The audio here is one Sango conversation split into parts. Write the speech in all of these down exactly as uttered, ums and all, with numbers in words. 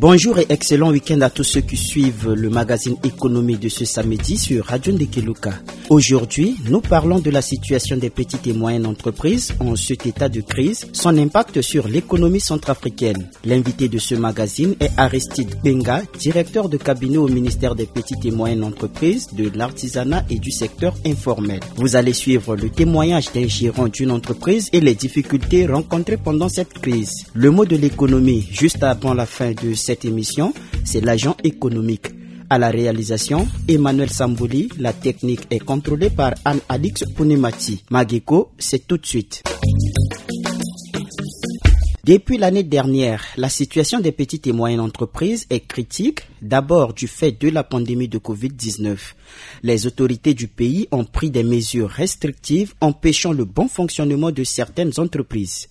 Bonjour et excellent week-end à tous ceux qui suivent le magazine Économie de ce samedi sur Radio Ndekeluka. Aujourd'hui, nous parlons de la situation des petites et moyennes entreprises en cet état de crise, son impact sur l'économie centrafricaine. L'invité de ce magazine est Aristide Benga, directeur de cabinet au ministère des petites et moyennes entreprises, de l'artisanat et du secteur informel. Vous allez suivre le témoignage d'un gérant d'une entreprise et les difficultés rencontrées pendant cette crise. Le mot de l'économie, juste avant la fin de cette émission, c'est l'agent économique. À la réalisation, Emmanuel Samboli, la technique est contrôlée par Anne-Alix Pounemati. Mageko, c'est tout de suite. Depuis l'année dernière, la situation des petites et moyennes entreprises est critique, d'abord du fait de la pandémie de covid dix-neuf. Les autorités du pays ont pris des mesures restrictives empêchant le bon fonctionnement de certaines entreprises.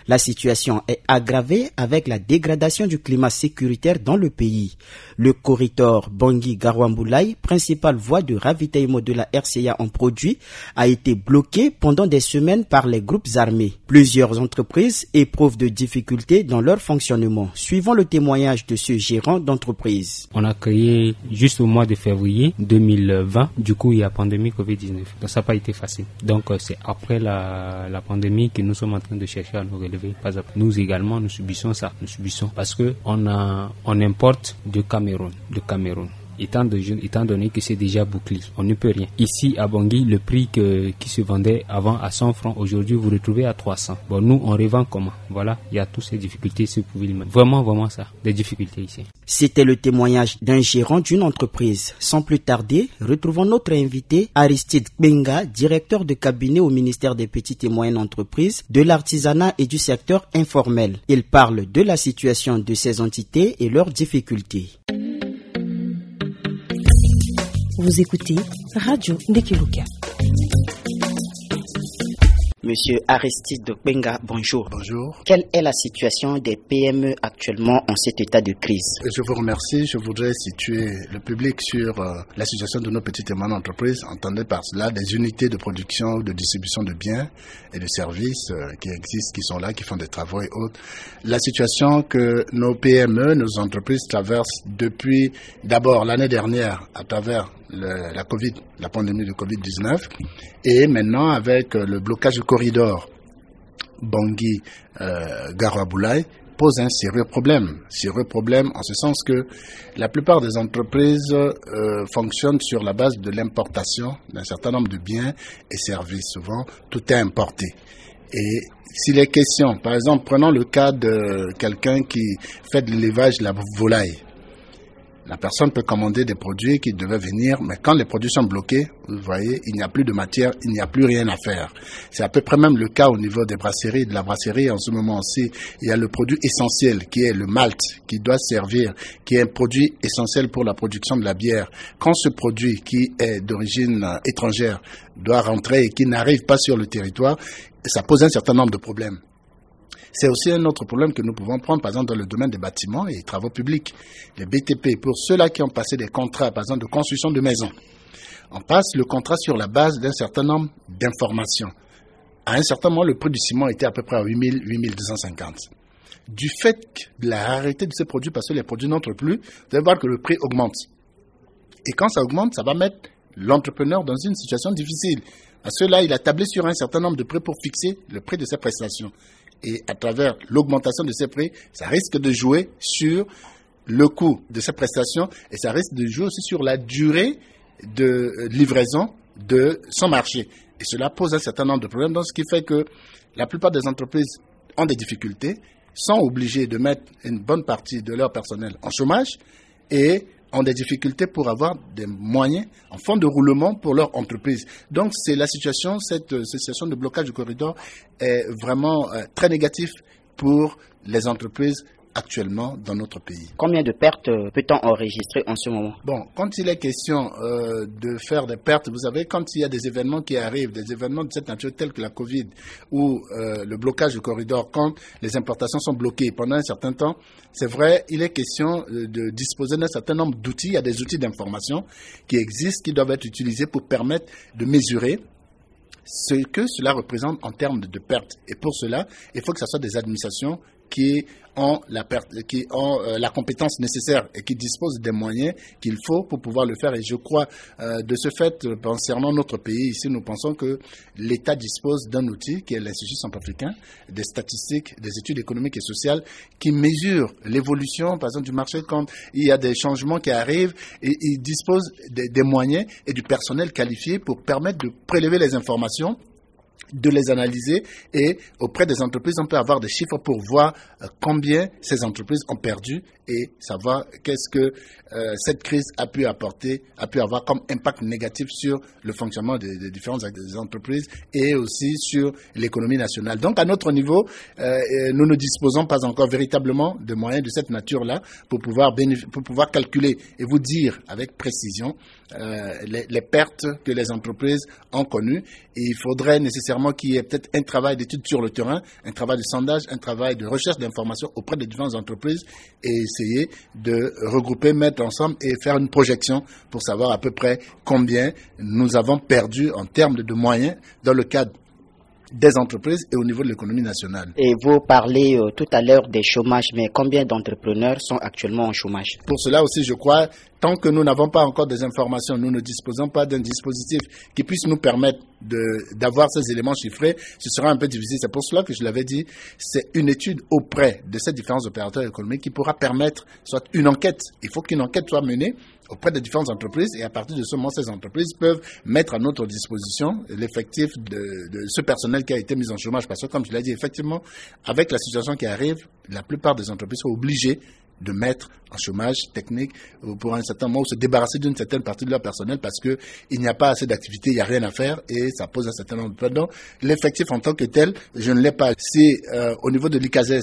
La situation est aggravée avec la dégradation du climat sécuritaire dans le pays. Le corridor Bangui-Garambulai, principale voie de ravitaillement de la R C A en produits, a été bloqué pendant des semaines par les groupes armés. Plusieurs entreprises éprouvent de difficultés dans leur fonctionnement, suivant le témoignage de ce gérant d'entreprise. On a créé juste au mois de février deux mille vingt. Du coup, il y a pandémie covid dix-neuf. Donc, ça n'a pas été facile. Donc, euh, c'est après la, la pandémie que nous sommes en train de chercher à nous relever. Pas à pas. Nous également, nous subissons ça. Nous subissons parce que on a, on importe de Cameroun, de Cameroun. Étant, de, étant donné que c'est déjà bouclé, on ne peut rien. Ici, à Bangui, le prix que, qui se vendait avant à cent francs, aujourd'hui, vous retrouvez à trois cents. Bon, nous, on revend comment ? Voilà, il y a toutes ces difficultés, c'est pour lui-même. Vraiment, vraiment ça, des difficultés ici. C'était le témoignage d'un gérant d'une entreprise. Sans plus tarder, retrouvons notre invité, Aristide Benga, directeur de cabinet au ministère des petites et moyennes entreprises, de l'artisanat et du secteur informel. Il parle de la situation de ces entités et leurs difficultés. Vous écoutez Radio Ndekeluka. Monsieur Aristide Benga, bonjour. Bonjour. Quelle est la situation des P M E actuellement en cet état de crise ? Je vous remercie. Je voudrais situer le public sur, euh, la situation de nos petites et moyennes entreprises. Entendez par cela des unités de production, de distribution de biens et de services, euh, qui existent, qui sont là, qui font des travaux et autres. La situation que nos P M E, nos entreprises traversent depuis d'abord l'année dernière à travers le, la covid, la pandémie de covid dix-neuf, et maintenant avec, euh, le blocage du corridor Bangui, euh, Garambulai, pose un sérieux problème. Sérieux problème en ce sens que la plupart des entreprises, euh, fonctionnent sur la base de l'importation d'un certain nombre de biens et services. Souvent, tout est importé. Et s'il est question, par exemple, prenons le cas de quelqu'un qui fait de l'élevage de la volaille. La personne peut commander des produits qui devaient venir, mais quand les produits sont bloqués, vous voyez, il n'y a plus de matière, il n'y a plus rien à faire. C'est à peu près même le cas au niveau des brasseries, de la brasserie en ce moment aussi. Il y a le produit essentiel qui est le malt, qui doit servir, qui est un produit essentiel pour la production de la bière. Quand ce produit qui est d'origine, euh, étrangère doit rentrer et qui n'arrive pas sur le territoire, ça pose un certain nombre de problèmes. C'est aussi un autre problème que nous pouvons prendre, par exemple, dans le domaine des bâtiments et travaux publics, les B T P, pour ceux-là qui ont passé des contrats, par exemple, de construction de maisons. On passe le contrat sur la base d'un certain nombre d'informations. À un certain moment, le prix du ciment était à peu près à huit mille, huit mille deux cent cinquante. Du fait de la rareté de ces produits, parce que les produits n'entrent plus, vous allez voir que le prix augmente. Et quand ça augmente, ça va mettre l'entrepreneur dans une situation difficile. Parce que là, il a tablé sur un certain nombre de prix pour fixer le prix de ses prestations. Et à travers l'augmentation de ces prix, ça risque de jouer sur le coût de ses prestations et ça risque de jouer aussi sur la durée de, euh, livraison de son marché. Et cela pose un certain nombre de problèmes. Donc, ce qui fait que la plupart des entreprises ont des difficultés, sont obligées de mettre une bonne partie de leur personnel en chômage et ont des difficultés pour avoir des moyens en fonds de roulement pour leur entreprise. Donc, c'est la situation, cette, euh, cette situation de blocage du corridor est vraiment, euh, très négative pour les entreprises actuellement dans notre pays. Combien de pertes, euh, peut-on enregistrer en ce moment ? Bon, quand il est question, euh, de faire des pertes, vous savez, quand il y a des événements qui arrivent, des événements de cette nature tels que la covid ou, euh, le blocage du corridor, quand les importations sont bloquées pendant un certain temps, c'est vrai, il est question, euh, de disposer d'un certain nombre d'outils. Il y a des outils d'information qui existent, qui doivent être utilisés pour permettre de mesurer ce que cela représente en termes de, de pertes. Et pour cela, il faut que ce soit des administrations qui ont la, per- qui ont, euh, la compétence nécessaire et qui disposent des moyens qu'il faut pour pouvoir le faire. Et je crois, euh, de ce fait, euh, concernant notre pays ici, nous pensons que l'État dispose d'un outil qui est l'Institut centrafricain des statistiques, des études économiques et sociales, qui mesure l'évolution, par exemple, du marché quand il y a des changements qui arrivent, et il dispose des, des moyens et du personnel qualifié pour permettre de prélever les informations, de les analyser, et auprès des entreprises, on peut avoir des chiffres pour voir, euh, combien ces entreprises ont perdu et savoir qu'est-ce que, euh, cette crise a pu apporter, a pu avoir comme impact négatif sur le fonctionnement des, des différentes entreprises et aussi sur l'économie nationale. Donc, à notre niveau, euh, euh, nous ne disposons pas encore véritablement de moyens de cette nature-là pour pouvoir bénéf- pour pouvoir calculer et vous dire avec précision, euh, les, les pertes que les entreprises ont connues. Et il faudrait nécessairement qu'il y ait peut-être un travail d'étude sur le terrain, un travail de sondage, un travail de recherche d'informations auprès des différentes entreprises et essayer de regrouper, mettre ensemble et faire une projection pour savoir à peu près combien nous avons perdu en termes de moyens dans le cadre des entreprises et au niveau de l'économie nationale. Et vous parlez, euh, tout à l'heure des chômages, mais combien d'entrepreneurs sont actuellement en chômage ? Pour cela aussi, je crois, tant que nous n'avons pas encore des informations, nous ne disposons pas d'un dispositif qui puisse nous permettre de, d'avoir ces éléments chiffrés, ce sera un peu difficile. C'est pour cela que je l'avais dit, c'est une étude auprès de ces différents opérateurs économiques qui pourra permettre soit une enquête. Il faut qu'une enquête soit menée auprès des différentes entreprises et à partir de ce moment, ces entreprises peuvent mettre à notre disposition l'effectif de, de ce personnel qui a été mis en chômage. Parce que, comme je l'ai dit, effectivement, avec la situation qui arrive, la plupart des entreprises sont obligées de mettre en chômage technique, euh, pour un certain moment ou se débarrasser d'une certaine partie de leur personnel parce que il n'y a pas assez d'activité, il n'y a rien à faire et ça pose un certain nombre de problèmes. Donc, l'effectif en tant que tel, je ne l'ai pas. Si, euh, au niveau de l'I C A S S,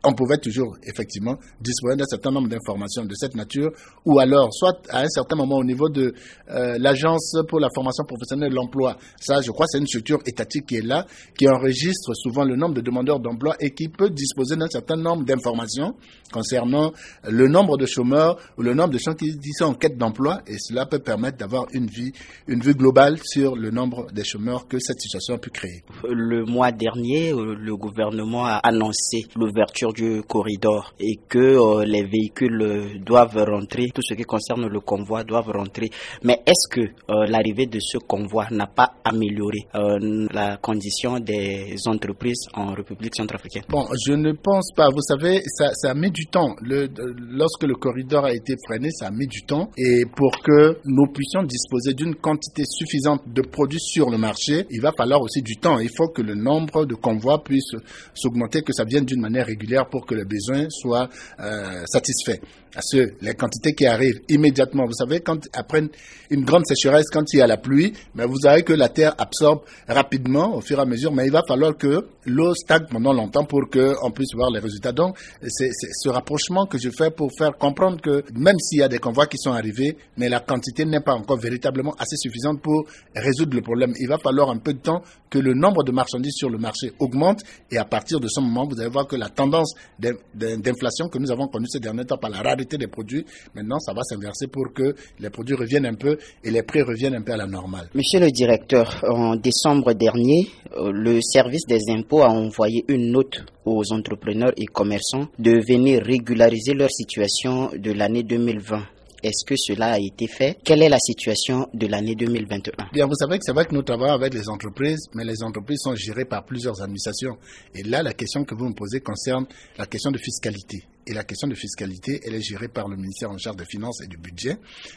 on pouvait toujours effectivement disposer d'un certain nombre d'informations de cette nature, ou alors soit à un certain moment au niveau de, euh, l'Agence pour la formation professionnelle et l'emploi. Ça, je crois, c'est une structure étatique qui est là, qui enregistre souvent le nombre de demandeurs d'emploi et qui peut disposer d'un certain nombre d'informations concernant le nombre de chômeurs ou le nombre de gens qui, qui sont en quête d'emploi, et cela peut permettre d'avoir une vie, une vue globale sur le nombre des chômeurs que cette situation a pu créer. Le mois dernier, euh, le gouvernement a annoncé l'ouverture du corridor et que, euh, les véhicules, euh, doivent rentrer, tout ce qui concerne le convoi doivent rentrer. Mais est-ce que, euh, l'arrivée de ce convoi n'a pas amélioré, euh, la condition des entreprises en République centrafricaine ? Bon, je ne pense pas. Vous savez, ça, ça a mis du temps. Le, lorsque le corridor a été freiné, ça a mis du temps. Et pour que nous puissions disposer d'une quantité suffisante de produits sur le marché, il va falloir aussi du temps. Il faut que le nombre de convois puisse s'augmenter, que ça vienne d'une manière régulière pour que les besoins soient, euh, satisfaits. Parce que les quantités qui arrivent immédiatement, vous savez, quand, après une, une grande sécheresse, quand il y a la pluie, mais vous savez que la terre absorbe rapidement au fur et à mesure, mais il va falloir que l'eau stagne pendant longtemps pour qu'on puisse voir les résultats. Donc, c'est, c'est ce rapprochement que je fais pour faire comprendre que même s'il y a des convois qui sont arrivés, mais la quantité n'est pas encore véritablement assez suffisante pour résoudre le problème. Il va falloir un peu de temps que le nombre de marchandises sur le marché augmente et à partir de ce moment, vous allez voir que la tendance d'in-, d'in-, d'inflation que nous avons connue ces derniers temps par la rareté des produits, maintenant, ça va s'inverser pour que les produits reviennent un peu et les prix reviennent un peu à la normale. Monsieur le directeur, en décembre dernier, euh, le service des impôts a envoyé une note aux entrepreneurs et commerçants de venir régulariser leur situation de l'année deux mille vingt. Est-ce que cela a été fait ? Quelle est la situation de l'année deux mille vingt et un ? Bien, vous savez que c'est vrai que nous travaillons avec les entreprises, mais les entreprises sont gérées par plusieurs administrations. Et là, la question que vous me posez concerne la question de fiscalité. Et la question de fiscalité, elle est gérée par le ministère en charge des finances et du budget.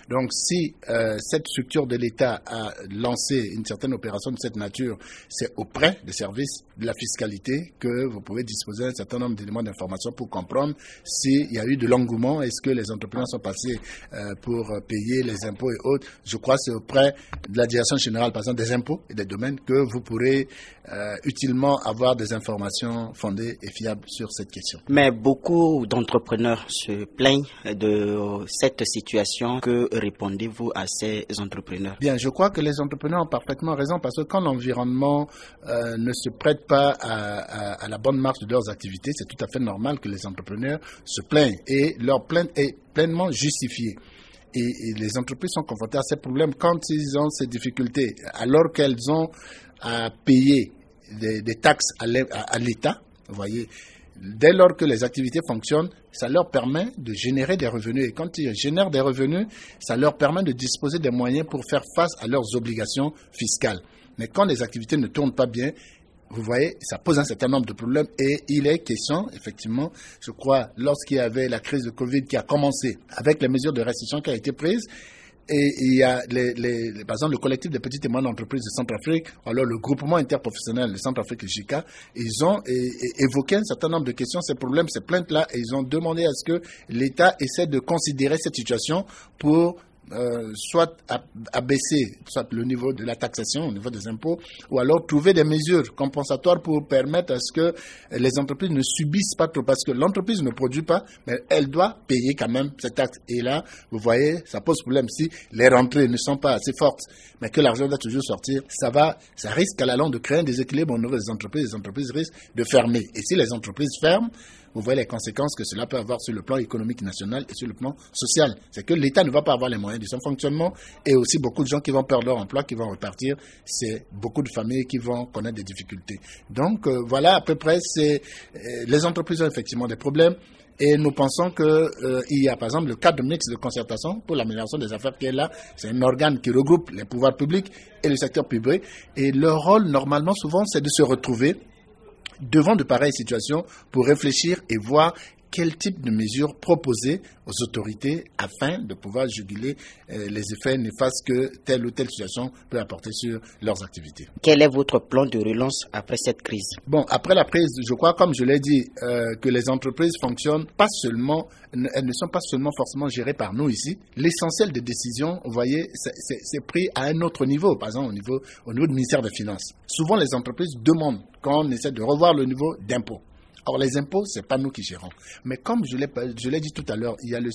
Donc, si, euh, cette structure de l'État a lancé une certaine opération de cette nature, c'est auprès des services de la fiscalité que vous pouvez disposer d'un certain nombre d'éléments d'information pour comprendre s'il y a eu de l'engouement, est-ce que les entrepreneurs sont passés, euh, pour, euh, payer les impôts et autres. Je crois que c'est auprès de la direction générale, par exemple, des impôts et des domaines que vous pourrez, euh, utilement avoir des informations fondées et fiables sur cette question. Mais beaucoup d'entrepreneurs se plaignent de cette situation. Que répondez-vous à ces entrepreneurs ? Bien, je crois que les entrepreneurs ont parfaitement raison parce que quand l'environnement, euh, ne se prête pas à, à, à la bonne marche de leurs activités, c'est tout à fait normal que les entrepreneurs se plaignent et leur plainte est pleinement justifiée. Et, et les entreprises sont confrontées à ces problèmes quand ils ont ces difficultés, alors qu'elles ont à payer des, des taxes à l'E-, à, à l'État, vous voyez, Dès lors que les activités fonctionnent, ça leur permet de générer des revenus. Et quand ils génèrent des revenus, ça leur permet de disposer des moyens pour faire face à leurs obligations fiscales. Mais quand les activités ne tournent pas bien, vous voyez, ça pose un certain nombre de problèmes et il est question, effectivement, je crois, lorsqu'il y avait la crise de covid qui a commencé, avec les mesures de restriction qui ont été prises, et il y a les, les, les- par exemple le collectif des petites et moyennes entreprises de Centrafrique, alors le groupement interprofessionnel de Centrafrique, J I C A, ils ont é- é- évoqué un certain nombre de questions, ces problèmes, ces plaintes-là, et ils ont demandé à ce que l'État essaie de considérer cette situation pour euh, soit ab- abaisser soit le niveau de la taxation au niveau des impôts, ou alors trouver des mesures compensatoires pour permettre à ce que les entreprises ne subissent pas trop, parce que l'entreprise ne produit pas, mais elle doit payer quand même cette taxe. Et là, vous voyez, ça pose problème. Si les rentrées ne sont pas assez fortes, mais que l'argent doit toujours sortir, ça va, ça risque à la longue de créer un déséquilibre au niveau des entreprises. Les entreprises risquent de fermer. Et si les entreprises ferment, vous voyez les conséquences que cela peut avoir sur le plan économique national et sur le plan social. C'est que l'État ne va pas avoir les moyens de son fonctionnement et aussi beaucoup de gens qui vont perdre leur emploi, qui vont repartir. C'est beaucoup de familles qui vont connaître des difficultés. Donc euh, voilà, à peu près, c'est euh, les entreprises ont effectivement des problèmes. Et nous pensons que euh, il y a par exemple le cadre mixte de concertation pour l'amélioration des affaires qui est là. C'est un organe qui regroupe les pouvoirs publics et le secteur privé. Et leur rôle, normalement, souvent, c'est de se retrouver devant de pareilles situations pour réfléchir et voir quel type de mesures proposer aux autorités afin de pouvoir juguler euh, les effets néfastes que telle ou telle situation peut apporter sur leurs activités. Quel est votre plan de relance après cette crise ? Bon, après la crise, je crois, comme je l'ai dit, euh, que les entreprises fonctionnent pas seulement, elles ne sont pas seulement forcément gérées par nous ici. L'essentiel des décisions, vous voyez, c'est pris à un autre niveau, par exemple au niveau, au niveau du ministère des Finances. Souvent, les entreprises demandent quand on essaie de revoir le niveau d'impôt. Or, les impôts, ce n'est pas nous qui gérons. Mais comme je l'ai dit tout à l'heure, il y a le,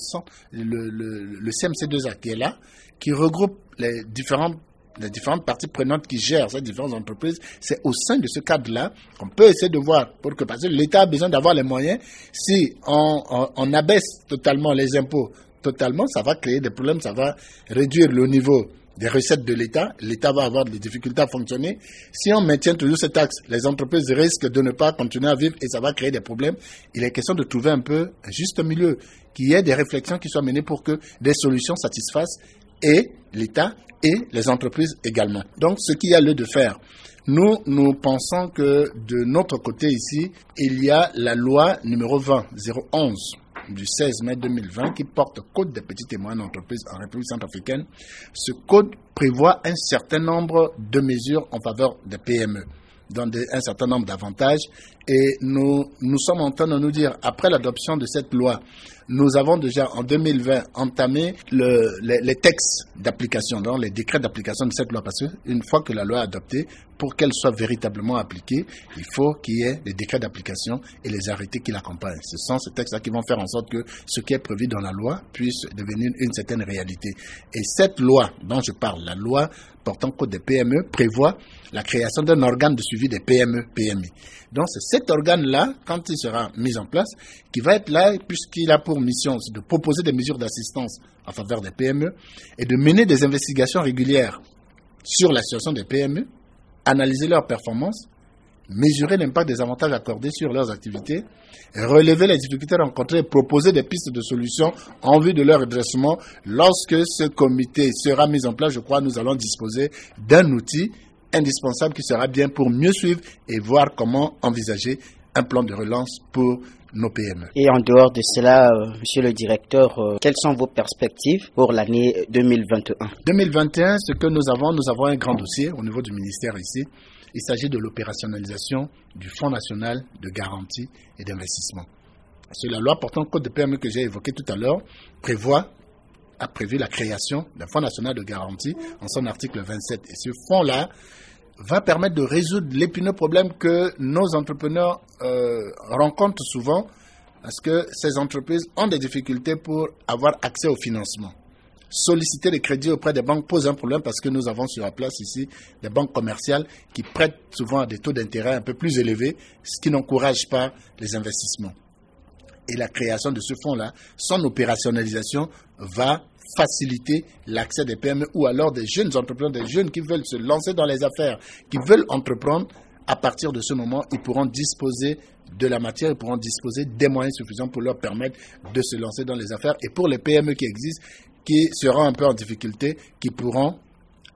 le, le, le C M C deux A qui est là, qui regroupe les différentes les différentes parties prenantes qui gèrent ces différentes entreprises, c'est au sein de ce cadre-là qu'on peut essayer de voir, pour que, parce que l'État a besoin d'avoir les moyens. Si on, on, on abaisse totalement les impôts, totalement, ça va créer des problèmes, ça va réduire le niveau des recettes de l'État, l'État va avoir des difficultés à fonctionner. Si on maintient toujours cette taxe, les entreprises risquent de ne pas continuer à vivre et ça va créer des problèmes. Il est question de trouver un peu un juste milieu, qu'il y ait des réflexions qui soient menées pour que des solutions satisfassent et l'État et les entreprises également. Donc, ce qu'il y a lieu de faire, nous, nous pensons que de notre côté ici, il y a la loi numéro vingt zéro onze du seize mai deux mille vingt qui porte code des petites et moyennes entreprises en République centrafricaine. Ce code prévoit un certain nombre de mesures en faveur des P M E, dans des, un certain nombre d'avantages. Et nous, nous sommes en train de nous dire, après l'adoption de cette loi, nous avons déjà en deux mille vingt entamé le, les, les textes d'application, donc les décrets d'application de cette loi, parce qu'une fois que la loi est adoptée, pour qu'elle soit véritablement appliquée, il faut qu'il y ait des décrets d'application et les arrêtés qui l'accompagnent. Ce sont ces textes-là qui vont faire en sorte que ce qui est prévu dans la loi puisse devenir une certaine réalité. Et cette loi dont je parle, la loi portant code des P M E, prévoit la création d'un organe de suivi des P M E, P M I. Donc c'est cet organe-là, quand il sera mis en place, qui va être là, puisqu'il a pour mission de proposer des mesures d'assistance en faveur des P M E et de mener des investigations régulières sur la situation des P M E, analyser leurs performances, mesurer l'impact des avantages accordés sur leurs activités, relever les difficultés rencontrées et proposer des pistes de solutions en vue de leur redressement. Lorsque ce comité sera mis en place, je crois que nous allons disposer d'un outil indispensable qui sera bien pour mieux suivre et voir comment envisager un plan de relance pour nos P M E. Et en dehors de cela, euh, monsieur le directeur, euh, quelles sont vos perspectives pour l'année deux mille vingt et un ? Deux mille vingt et un, ce que nous avons, nous avons un grand dossier au niveau du ministère ici. Il s'agit de l'opérationnalisation du Fonds national de garantie et d'investissement. C'est la loi portant code de P M E que j'ai évoquée tout à l'heure, prévoit a prévu la création d'un fonds national de garantie en son article vingt-sept. Et ce fonds-là va permettre de résoudre l'épineux problème que nos entrepreneurs euh, rencontrent souvent, parce que ces entreprises ont des difficultés pour avoir accès au financement. Solliciter les crédits auprès des banques pose un problème parce que nous avons sur la place ici des banques commerciales qui prêtent souvent à des taux d'intérêt un peu plus élevés, ce qui n'encourage pas les investissements. Et la création de ce fonds-là, son opérationnalisation va faciliter l'accès des P M E ou alors des jeunes entrepreneurs, des jeunes qui veulent se lancer dans les affaires, qui veulent entreprendre À partir de ce moment, ils pourront disposer de la matière, ils pourront disposer des moyens suffisants pour leur permettre de se lancer dans les affaires. Et pour les P M E qui existent, qui seront un peu en difficulté, qui pourront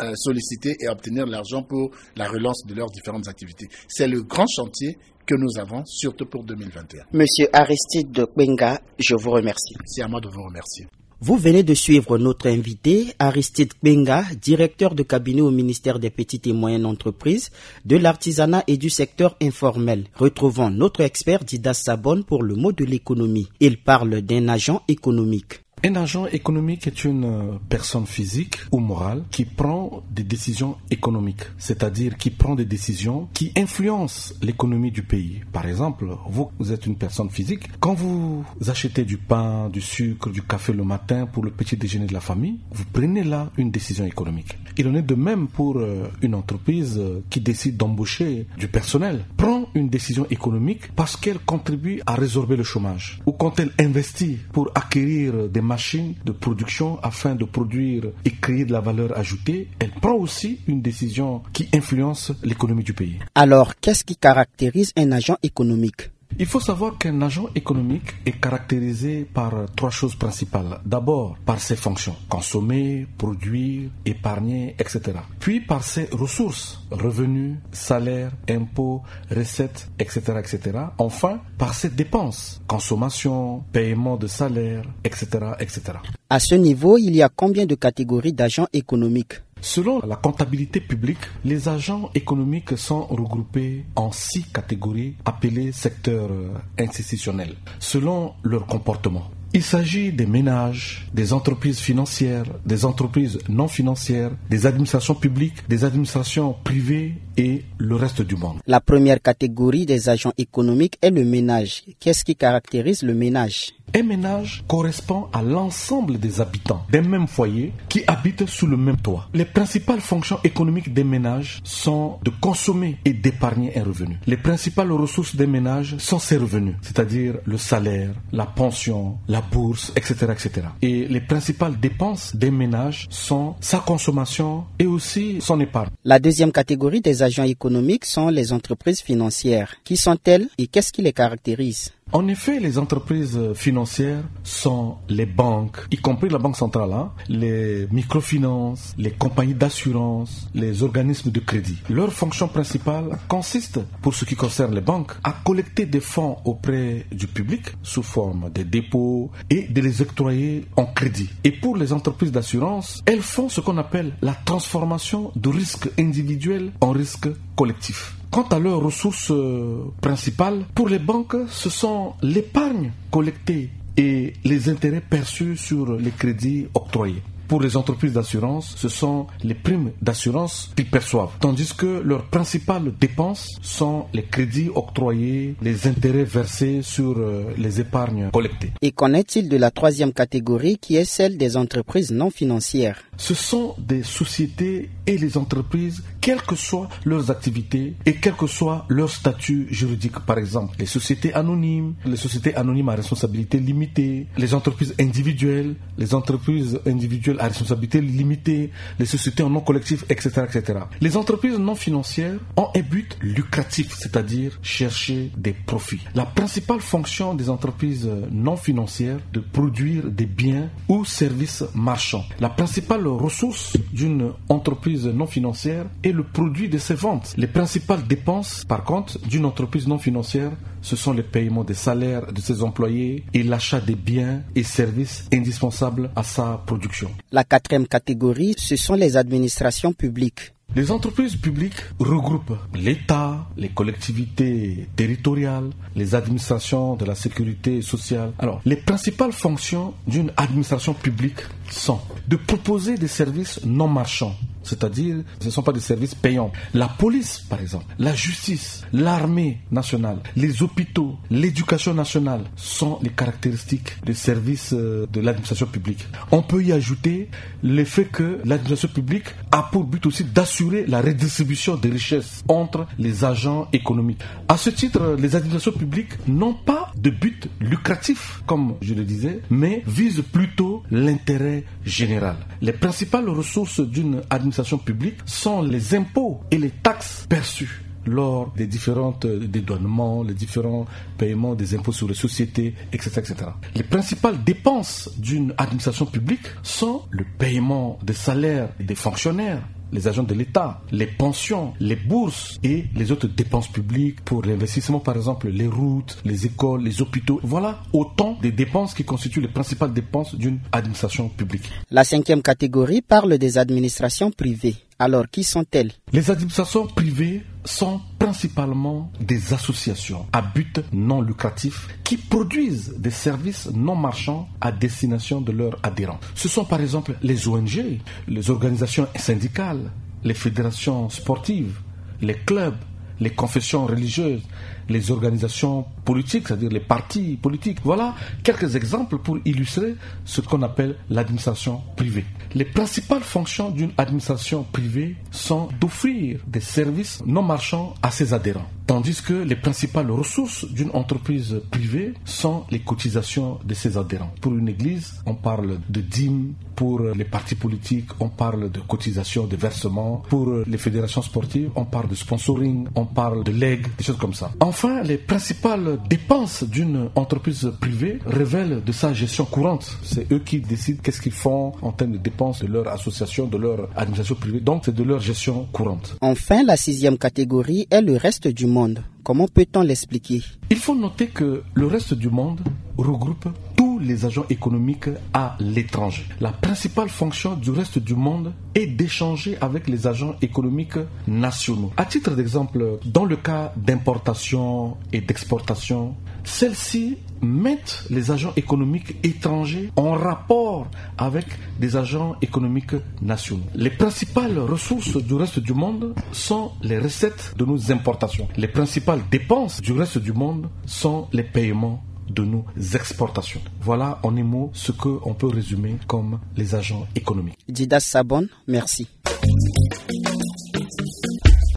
euh, solliciter et obtenir l'argent pour la relance de leurs différentes activités. C'est le grand chantier que nous avons, surtout pour deux mille vingt et un. Monsieur Aristide Kbenga, je vous remercie. C'est à moi de vous remercier. Vous venez de suivre notre invité, Aristide Kbenga, directeur de cabinet au ministère des Petites et Moyennes Entreprises, de l'Artisanat et du Secteur Informel. Retrouvons notre expert Didas Sabon pour le mot de l'économie. Il parle d'un agent économique. Un agent économique est une euh, personne physique ou morale qui prend des décisions économiques, c'est-à-dire qui prend des décisions qui influencent l'économie du pays. Par exemple, vous, vous êtes une personne physique. Quand vous achetez du pain, du sucre, du café le matin pour le petit déjeuner de la famille, vous prenez là une décision économique. Il en est de même pour euh, une entreprise euh, qui décide d'embaucher du personnel. Prend une décision économique parce qu'elle contribue à résorber le chômage. Ou quand elle investit pour acquérir des machines de production afin de produire et créer de la valeur ajoutée, elle prend aussi une décision qui influence l'économie du pays. Alors, qu'est-ce qui caractérise un agent économique ? Il faut savoir qu'un agent économique est caractérisé par trois choses principales. D'abord, par ses fonctions, consommer, produire, épargner, et cetera. Puis par ses ressources, revenus, salaires, impôts, recettes, et cetera, et cetera. Enfin, par ses dépenses, consommation, paiement de salaire, et cetera, et cetera. À ce niveau, il y a combien de catégories d'agents économiques ? Selon la comptabilité publique, les agents économiques sont regroupés en six catégories appelées secteurs euh, institutionnels, selon leur comportement. Il s'agit des ménages, des entreprises financières, des entreprises non financières, des administrations publiques, des administrations privées et le reste du monde. La première catégorie des agents économiques est le ménage. Qu'est-ce qui caractérise le ménage ? Un ménage correspond à l'ensemble des habitants d'un même foyer qui habitent sous le même toit. Les principales fonctions économiques des ménages sont de consommer et d'épargner un revenu. Les principales ressources des ménages sont ses revenus, c'est-à-dire le salaire, la pension, la bourse, et cetera, et cetera. Et les principales dépenses des ménages sont sa consommation et aussi son épargne. La deuxième catégorie des agents économiques sont les entreprises financières. Qui sont-elles et qu'est-ce qui les caractérise ? En effet, les entreprises financières sont les banques, y compris la Banque centrale, hein, les microfinances, les compagnies d'assurance, les organismes de crédit. Leur fonction principale consiste, pour ce qui concerne les banques, à collecter des fonds auprès du public sous forme de dépôts et de les octroyer en crédit. Et pour les entreprises d'assurance, elles font ce qu'on appelle la transformation de risque individuel en risque collectif. Quant à leurs ressources euh, principales, pour les banques, ce sont l'épargne collectée et les intérêts perçus sur les crédits octroyés. Pour les entreprises d'assurance, ce sont les primes d'assurance qu'ils perçoivent, tandis que leurs principales dépenses sont les crédits octroyés, les intérêts versés sur euh, les épargnes collectées. Et qu'en est-il de la troisième catégorie qui est celle des entreprises non financières ? Ce sont des sociétés et les entreprises, quelles que soient leurs activités et quel que soit leur statut juridique. Par exemple, les sociétés anonymes, les sociétés anonymes à responsabilité limitée, les entreprises individuelles, les entreprises individuelles à responsabilité limitée, les sociétés en nom collectif, et cetera, et cetera. Les entreprises non financières ont un but lucratif, c'est-à-dire chercher des profits. La principale fonction des entreprises non financières est de produire des biens ou services marchands. La principale ressource d'une entreprise non financière est le produit de ses ventes. Les principales dépenses, par contre, d'une entreprise non financière, ce sont les paiements des salaires de ses employés et l'achat des biens et services indispensables à sa production. La quatrième catégorie, ce sont les administrations publiques. Les entreprises publiques regroupent l'État, les collectivités territoriales, les administrations de la sécurité sociale. Alors, les principales fonctions d'une administration publique sont de proposer des services non marchands, c'est-à-dire ce ne sont pas des services payants. La police, par exemple, la justice, l'armée nationale, les hôpitaux, l'éducation nationale sont les caractéristiques des services euh, de l'administration publique. On peut y ajouter le fait que l'administration publique a pour but aussi d'assurer la redistribution des richesses entre les agents économiques. À ce titre, les administrations publiques n'ont pas de but lucratif, comme je le disais, mais visent plutôt l'intérêt général. Les principales ressources d'une administration publique sont les impôts et les taxes perçues. lors des différents dédouanements, les différents paiements des impôts sur les sociétés, et cetera, et cetera. Les principales dépenses d'une administration publique sont le paiement des salaires des fonctionnaires, les agents de l'État, les pensions, les bourses et les autres dépenses publiques pour l'investissement, par exemple les routes, les écoles, les hôpitaux. Voilà autant de dépenses qui constituent les principales dépenses d'une administration publique. La cinquième catégorie parle des administrations privées. Alors, qui sont-elles ? Les administrations privées sont principalement des associations à but non lucratif qui produisent des services non marchands à destination de leurs adhérents. Ce sont par exemple les O N G, les organisations syndicales, les fédérations sportives, les clubs, les confessions religieuses, les organisations politiques, c'est-à-dire les partis politiques. Voilà quelques exemples pour illustrer ce qu'on appelle l'administration privée. Les principales fonctions d'une administration privée sont d'offrir des services non marchands à ses adhérents, tandis que les principales ressources d'une entreprise privée sont les cotisations de ses adhérents. Pour une église, on parle de dîmes. Pour les partis politiques, on parle de cotisations, de versements. Pour les fédérations sportives, on parle de sponsoring, on parle de legs, des choses comme ça. Enfin, les principales dépenses d'une entreprise privée révèlent de sa gestion courante. C'est eux qui décident qu'est-ce qu'ils font en termes de dépenses de leur association, de leur administration privée. Donc, c'est de leur gestion courante. Enfin, la sixième catégorie est le reste du monde. Comment peut-on l'expliquer ? Il faut noter que le reste du monde regroupe tous les agents économiques à l'étranger. La principale fonction du reste du monde est d'échanger avec les agents économiques nationaux. À titre d'exemple, dans le cas d'importation et d'exportation, celles-ci mettent les agents économiques étrangers en rapport avec des agents économiques nationaux. Les principales ressources du reste du monde sont les recettes de nos importations. Les principales dépenses du reste du monde sont les paiements de nos exportations. Voilà en un mot ce que on peut résumer comme les agents économiques. Djidas Sabon, merci.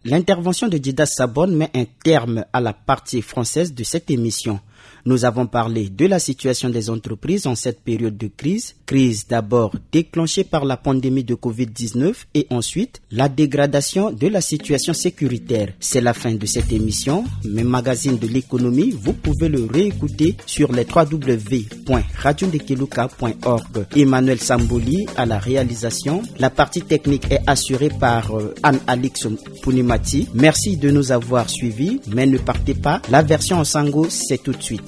L'intervention de Djidas Sabon met un terme à la partie française de cette émission. Nous avons parlé de la situation des entreprises en cette période de crise. Crise d'abord déclenchée par la pandémie de covid dix-neuf et ensuite la dégradation de la situation sécuritaire. C'est la fin de cette émission, mais Magazine de l'économie, vous pouvez le réécouter sur les trois w point radio ndekeluka point org. Emmanuel Samboli à la réalisation. La partie technique est assurée par, euh, Anne-Alix Punimati. Merci de nous avoir suivis, mais ne partez pas. La version en sango, c'est tout de suite.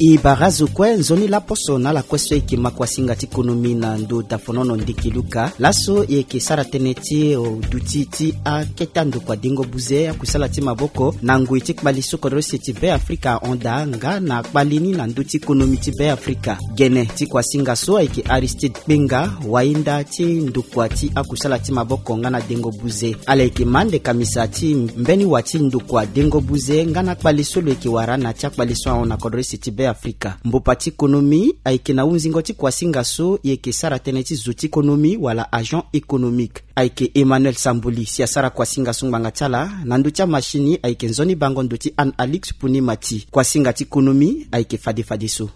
E bara zo kue nzoni laposo na ala kue so e yeke ma kuasinga ti konomi na ndo dafonono ndeke luka. Laso e yeke sara tënë ti, o, duti ti akete andokua dengo buze akusala ti maboko na ngoi ti kpali so kodro use ti Beafrika ahon daa nga na kpali ni na ndö ti konomi ti Beafrika. Gene ti kuasinga so ayeke Aristide Kpenga, wahinda ti ndokua ti akusala ti maboko nga na dengo buze. Ala yeke ma ande kamisa ti mbeni wa ti ndokua dengo buze nga na akpali so lo yeke wara na ya ti akpali so ahon na kodro use ti Beafrika. Mbopa ti konomi ayeke na hunzingo ti kuasinga so e yeke sara tënë ti zo ti konomi wala agent économique. Ayeke Emmanuel Samboli si asara kuasinga so ngbanga ti ala. Na ndö ti amachine ayeke nzoni bango ndo ti Anne Alix Punimati. Kuasinga ti konomi ayeke fade fadeso.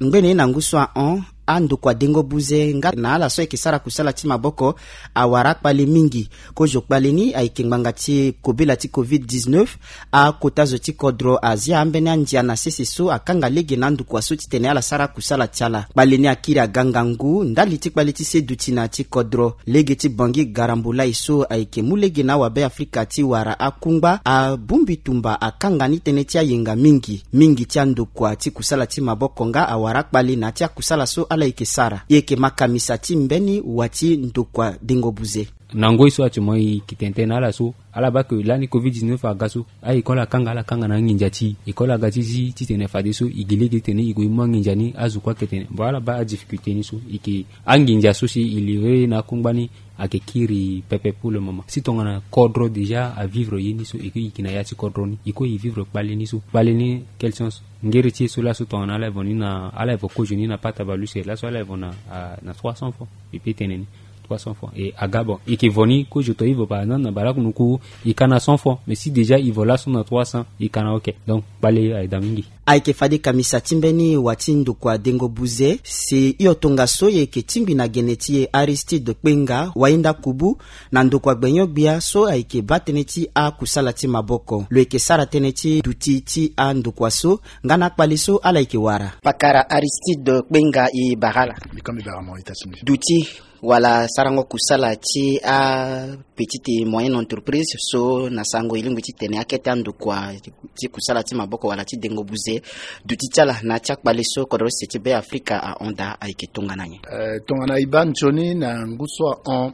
Ngbene na ngu so ahon, andokua dengo buze nga na ala so ayeke sara kusala ti maboko awara akpale mingi. Kozo kpale ni ayeke ngbanga ti kobela ti covid dix-neuf. Akota zo ti kodro azia ambeni andia na sese so akanga lege na andokua so titene ala sara akusala ti ala. Kpale ni akiri aga ngangu ndali ti kpale ti se duti na ya ti kodro. Lege ti Bangui Garambulai so ayeke mu lege na awabe Afrika ti wara akungba abongbi tumba akanga ni tënë ti ayenga mingi. Mingi ti andokua ti kusala ti maboko nga awara akpale na ya ti akusala so ala yeke sara. E yeke ma kamisa ti mbeni wa ti ndokua dengo buze. Na ngoi so ati mo e ke tene tënë na ala so, ala baa ke lani covid dix-neuf aga so, a-école akanga, ala kanga na anginza ti e. École aga ti zi titene fadeso e gi lege titene e gue e mu anginza ni azo kue ake tene. Bon, ala baa adifficulté ni so, e ke anginza so si e livrer na akungba ni ayeke kiri pepe pour le moment. Si tongana kodro déjà avivre ye ni so, e ke e yeke na ya ti kodro ni, e kue e vivre kpale ni so. Kpale ni, quel sens? Ngere ti e so laso tongana ala evo ni na, ala evo kozo ni na pata baleuse, laso ala evo na, ah, na trois cents francs. E peut tene ni trois cents francs. E aga, bon, e ke vo ni kozo to e vo par exemple na baleaku noku, e ka na cent francs. Mais si déjà e vo laso na trois cents, e ka na ok. Donc kpale aye daa mingi. Ayeke fade kamisa ti mbeni wa ti ndokua dengo buze, si hio tongaso e yeke tingbi na gene ti e Aristide Kpenga, wainda kubu, na ndokua gbenyo-gbia so ayeke baa tënë ti akusala ti maboko. Lo yeke sara tënë ti duti ti andokua so nga na akpale so ala yeke wara. Pakara Aristide Kpenga, e bara ala. Mbi ko mbi bara mo ita ti mbi. Duti wala sarango kusala ti apetite et moyenne entreprise so na sango e lingbi titene akete andokua ti kusala ti maboko wala ti dengo buze, duti ti ala na ya ti akpale so kodro sese ti Beafrika ahon daa ayeke tongana nyen? Eh, tongana e baa nzoni na ngu so ahon,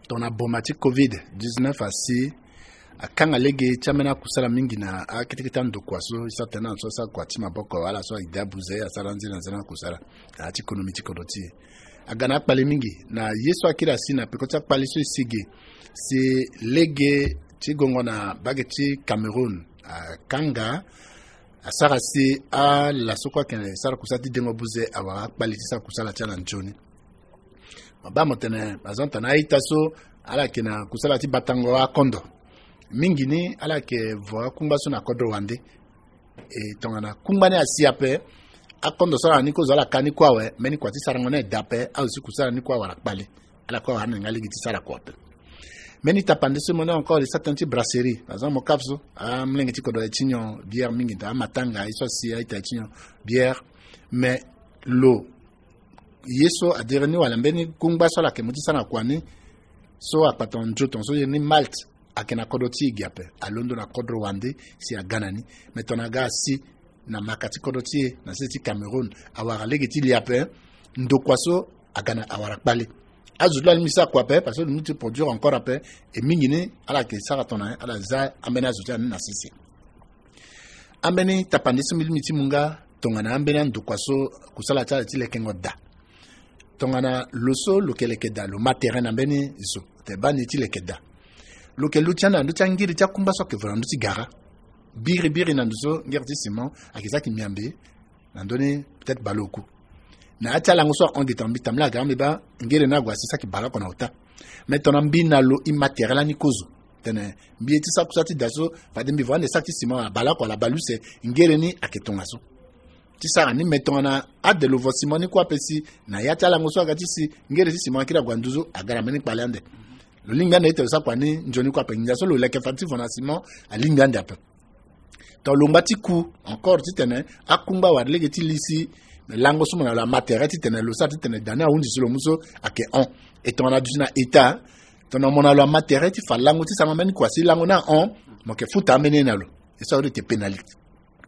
tongana boma ti covid dix-neuf asi, akanga lege ti ambeni akusala mingi na akete kete andokua so e sara tënë na so asara kua ti maboko wala so e de abuze asara nzene na nzene akusala na ya ti konomi ti kodro ti e. Aga na akpale mingi na ye so akiri asi na peko ti akpale so e si ge, si lege ti gongo na mbage ti Cameroun akanga, asara si ala so kue ayeke sara kusala ti dengo buze awara akpale ti sara kusala ti ala nzoni. Mo baa mo tene, par exemple, tongana a-ita so ala yeke na kusala ti batango akondo, mingi ni ala yeke vo akungba so na kodro wande. E tongana kungba ni asi ape, akondo so ala na ni kozo ala ka ni kue awe, mbeni kua ti sarango ni eda ape, azo ti kusala ni kue awara kpale. Ala kue awara ande nga lege ti sara kua ape. Mbeni tapande so mo ni encore e sara tënë ti brasserie, par exemple mo kaf so, amolenge ti kodro aye ti nyon bière mingi, amatanga ye so asi a-ita aye ti nyon bière. Mais lo ye so adiri ni wala mbeni kungba so ala yeke mu ti sara na kua ni, so akpatang nzoto so iri ni malt, ayeke na kodro ti e ge ape, alondo na kodro wande si aga na ni. Mais tongana aga asi na maka ti kodro ti e na sese ti Cameroun, awara lege ti li ape, ndokua so aga na awara kpale. Azo ti lo alingbi ti sara kua ape parce que lo mu ti produire encore ape. E mingi ni ala yeke sara tongana ala za ambeni azo ti ala ni na sese. Ambeni tapande so mbi lingbi ti mu nga tongana ambeni andokua so kusala ti ala ti lekengo daa. Tongana lo so lo yeke leke daa, lo ma tere na mbeni zo, te baa ni ti leke daa. Lo yeke luti ande na ndö ti angiri ti akungba so ayeke vo na ndö ti gara. Biribiri na ndo so ngiri ti ciment ayeke saki miambe na ndö ni peut-être baleoku. Na ya ti alango so ahon gi tongana mbi tambula aga mbi baa ngiri ni ague asi saki baleoko na ota. Mais tongana mbi na lo e ma tere lani kozo tene mbi ye ti sara kusala ti daa so, fade mbi vo ande saki ti ciment wala baleoko wala baleuse, ngiri ni ayeke tongaso ti sara ni. Mais tongana ade lo vo ciment ni kue ape si na ya ti alango so aga ti si ngiri ti ciment akiri ague na nduzu, aga na mbeni kpale ande. Lo lingbi ande ti lo sara kua ni nzoni kue ape. Nginza so lo leke fade ti vo na ciment alingbi ande ape. Tongana lo ngba ti ku encore titene akungba wala lege ti li si lango so mo na lo ama tere titene lo sara titene daa ni ahunzi so lo mu so ayeke hon. E tongana duti na état, tongana mo na lo ama tere ti fa lango ti sarango mbeni kua si lango ni ahon, mo yeke futa ambeni ye na lo. E so ahon ti tene pénalité.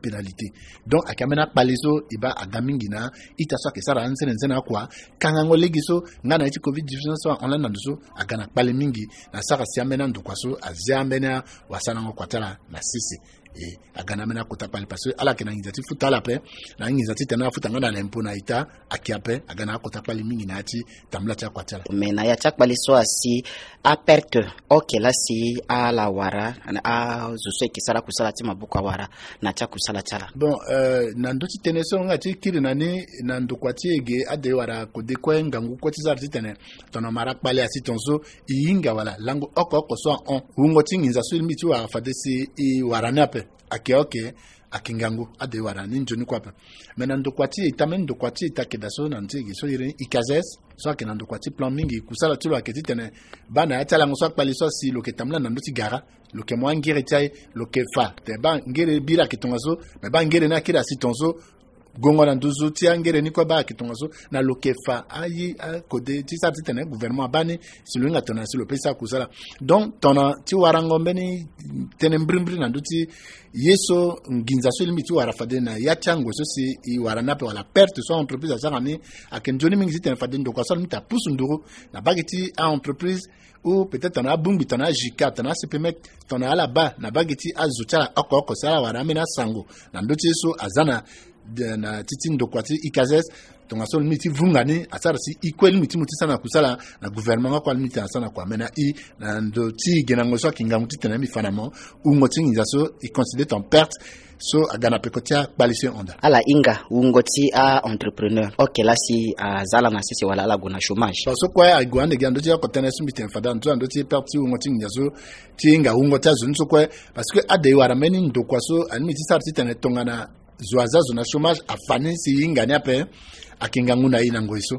Pénalité. Donc ayeke ambeni akpale so e baa aga mingi na ita so ayeke sara anzene nzene akua. Kangango lege so nga na ye ti covid dix-neuf so ahon lani na ndo so aga na kpale mingi na sara si ambeni andokua so azia ambeni awasarango kua ti ala na sese. E aga na ambeni akota kpale parce que ala yeke na nginza ti futa ala ape, na anginza titene afuta nga na lempo na ita ayeke ape. Aga na akota kpale mingi na ya ti tambula ti akua ti ala. Mais na ya ti akpale so asi, aperte oke laa si ala wara, azo so ayeke sara akusala ti maboko awara na ya ti akusala ti ala? Bon, euh, na ndö ti tënë so nga ti kiri na ni na ndokua ti e ge, ade wala kode kue ngangu kue ti sara titene tongana mo ma ra kpale asi tongaso e hinga wala lango oko oko so ahon, wungo ti nginza so e lingbi ti wara fade si e wara ni ape. Ayeke oke, ayeke ngangu, ade wara ni nzoni kue ape. Mais na ndokua ti e, e tambeni ndokua ti e, e ta yeke daa so na ndö ti e ge so iri ni ICASEES, so ayeke na ndokua ti plan mingi. Kusala ti lo ayeke titene baa na ya ti alango so akpale so asi lo yeke tambula na ndö ti gara, lo yeke mu angere ti aye, lo yeke fa te baa ngere biri ayeke tongaso, me baa ngere ni akiri asi tongaso, gongo na nduzu ti angere ni kue baa ayeke tongaso. Na lo yeke fa aye akode ti sara titene gouvernement abaa ni si lo hinga tongana si lo pe sara kusala. Donc tongana ti warango mbeni tënë mbirimbiri na ndö ti ye so nginza so e lingbi ti wara fade na ya ti angoi so si e wara ni ape wala perte so a-entreprise asara ni, ayeke nzoni mingi titene fade ndokua so alingbi ti apusu nduru na mbage ti a-entreprise, ou peut-être tongana abongbi tongana a-JICA, tongana a-CPMET, tongana ala baa na mbage ti azo ti ala oko oko si ala wara ambeni asango na ndö ti ye so aza na de, na ti ti ndokua ti ICASEES, tongaso alingbi ti vunga ni asara si e kue alingbi ti mu ti sara na kusala na gouvernement nga kue alingbi ti tene asara na kua. Me na e, na ndo ti e ge na ngoi so ayeke ngangu titene mbi fa na mo, wungo ti nginza so e considéré en perte so aga na peko ti akpali so e hon daa. Ala hinga wungo ti a-entrepreneur oke laa si aza ala na sese wala ala gue na chômage. Parce que kue ague ande gi na ndö ti oko tënë so mbi tene fade na ndö ti perte ti wungo ti nginza so ti hinga wungo ti azo ni so kue. Parce que ade e wara mbeni ndokua so alingbi ti sara titene tongana zo aza zo na chômage afa ni si e hinga ni ape. Ayeke ngangu na e na ngoi so.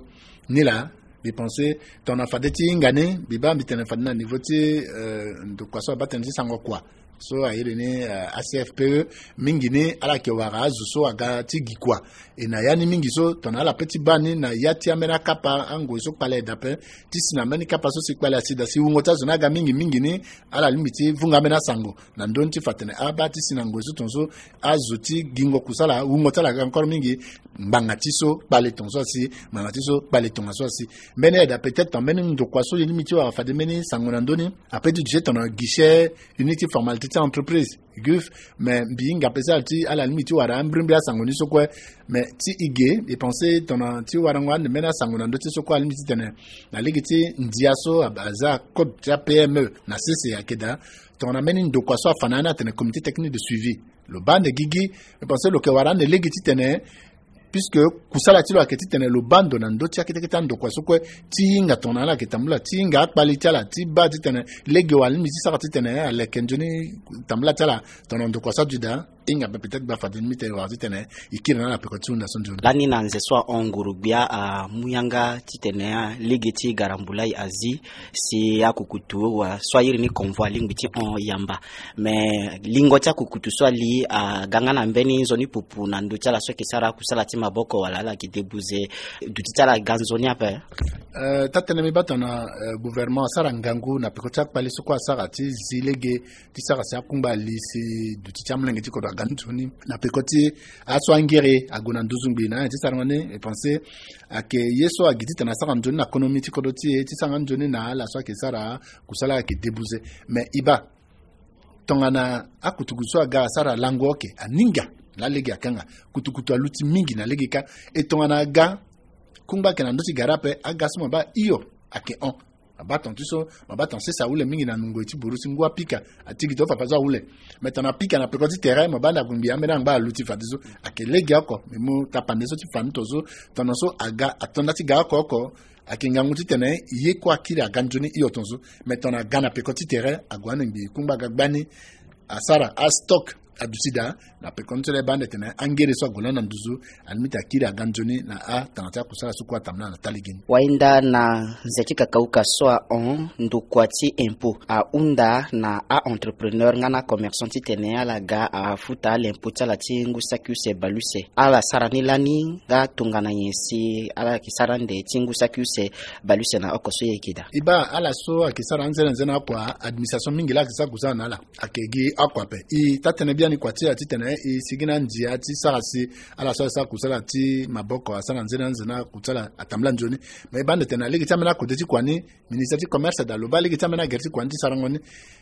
Nilaa mbi pensé tongana fade ti hinga ni, mbi baa mbi tene fade na niveau ti, euh, ndokua so abaa tënë ti sango kua so a iri ni, euh, A C F P E. Mingi ni ala yeke wara azo so aga ti gi kua. E na ya ni mingi so tongana ala pe ti baa ni na ya ti ambeni akapa angoi so kpale aye daa ape, ti si na mbeni kapa so si kpale asi daa si wungo ti azo ni aga mingi mingi ni, ala lingbi ti vunga ambeni asango na ndö ni ti fa tene abaa ti si na ngoi so tongaso azo ti gingo kusala wungo ti ala aga encore mingi. Ngbanga ti so kpale tongaso asi, ngbanga ti so kpale tongaso asi. Mbeni aye daa peut-être tongana mbeni ndokua so e lingbi ti wara fade mbeni sango na ndö ni, ape ti duti tongana guichet unique ti formalité ti entreprise, GUF. Mais mbi hinga mpe si ala ti ala lingbi ti wara ambirimbiri asango ni so kue. Mais ti e ge mbi pensé tongana ti warango ande mbeni asango na ndö ti so kue alingbi titene na lege ti ndia so ab- aza code ti a-P M E na sese ayeke daa. Tongana mbeni ndokua so afa na ya ni atene comité technique de suivi, lo baa ande gigi. Mbi pensé lo yeke wara ande lege titene puisque kusala ti lo ayeke titene lo baa ndo na ndö ti akete kete andokua so kue, ti hinga tongana ala yeke tambula, ti hinga akpali ti ala ti baa titene lege wala lingbi ti sara titene aleke nzoni tambula ti ala. Tongana ndokua so aduti daa, e hinga mpe peut-être gbaa fade ni mbi tene wara titene e kiri na ala peko ti hunda so nzoni. Lani na nze so ahon nguru-gbia amu yanga titene lege ti garambulai azi si akukutu wa so a iri ni convoi alingbi ti hon yamba. Mais lingo ti akukutu so ali aga nga na mbeni nzoni pupu na ndö ti ala so ayeke sara akusala ti maboko wala ala yeke debuze duti ti ala aga nzoni ape. Euh, taa-tënë mbi baa tongana, euh, gouvernement asara ngangu na peko ti akpali so kue asara ti zi lege ti sara si akungba li si duti ti amolenge ti kodro aga nzoni na peko ti aso angere ague na nduzu ngbii na ya ti sarango ni. E pensé ayeke ye so agi titene asara nzoni na konomi ti kodro ti e ti sara nga nzoni na ala so ayeke sara kusala ayeke debuze. Mais e baa tongana akutukutu so aga asara lango oke aninga na lege akanga, kutukutu aluti mingi na lege kâ. E tongana aga kungba ayeke na ndö ti gara ape, aga so mo baa hio ayeke hon. Mo baa ton ti so mo baa ton sese ahule mingi na ngoi ti buru si ngu apika, atigi to fa pa so ahule. Mais tongana apika na peko ti tere mo baa ande ague ngbii ambeni angba aluti fadeso. Ayeke lege oko mbi mu tapande so ti fa ni to so. Tongana so aga ato nda ti ga oko oko, ayeke ngangu titene ye kue akiri aga nzoni hio tongaso. Mais tongana aga na peko ti tere ague ande ngbii kungba aga gbani, asara astock aduti daa. Na peko ni so laa e baa ande tene angere so ague lani na nduzu alingbi ti akiri aga nzoni na atanga ti akusala so kue atambula na taa lege ni. Wainda na nze ti kakauka so ahon, ndokua ti impôt ahunda na a-entrepreneur nga na commerçant titene ala ga afuta l'impôt ti ala ti ngu saki use bale use. Ala sara ni lani nga tongana nyen si ala yeke sara ande ti ngu saki use bale use na oko so e yeke daa? E baa ala so ayeke sara anzene anzene oko, administration mingi laa ayeke sara kusala na ala. Ayeke gi oko ape. E taa-tënë biani kua ti ala titene e sigi na andia ti sara si ala so asara kusala ti maboko asara nzene anzene akusala atambula nzoni. Me e baa ande tene na lege ti ambeni akode ti kua ni, ministère ti commerce daa lo baa lege ti ambeni agere ti kua ni ti sarango ni.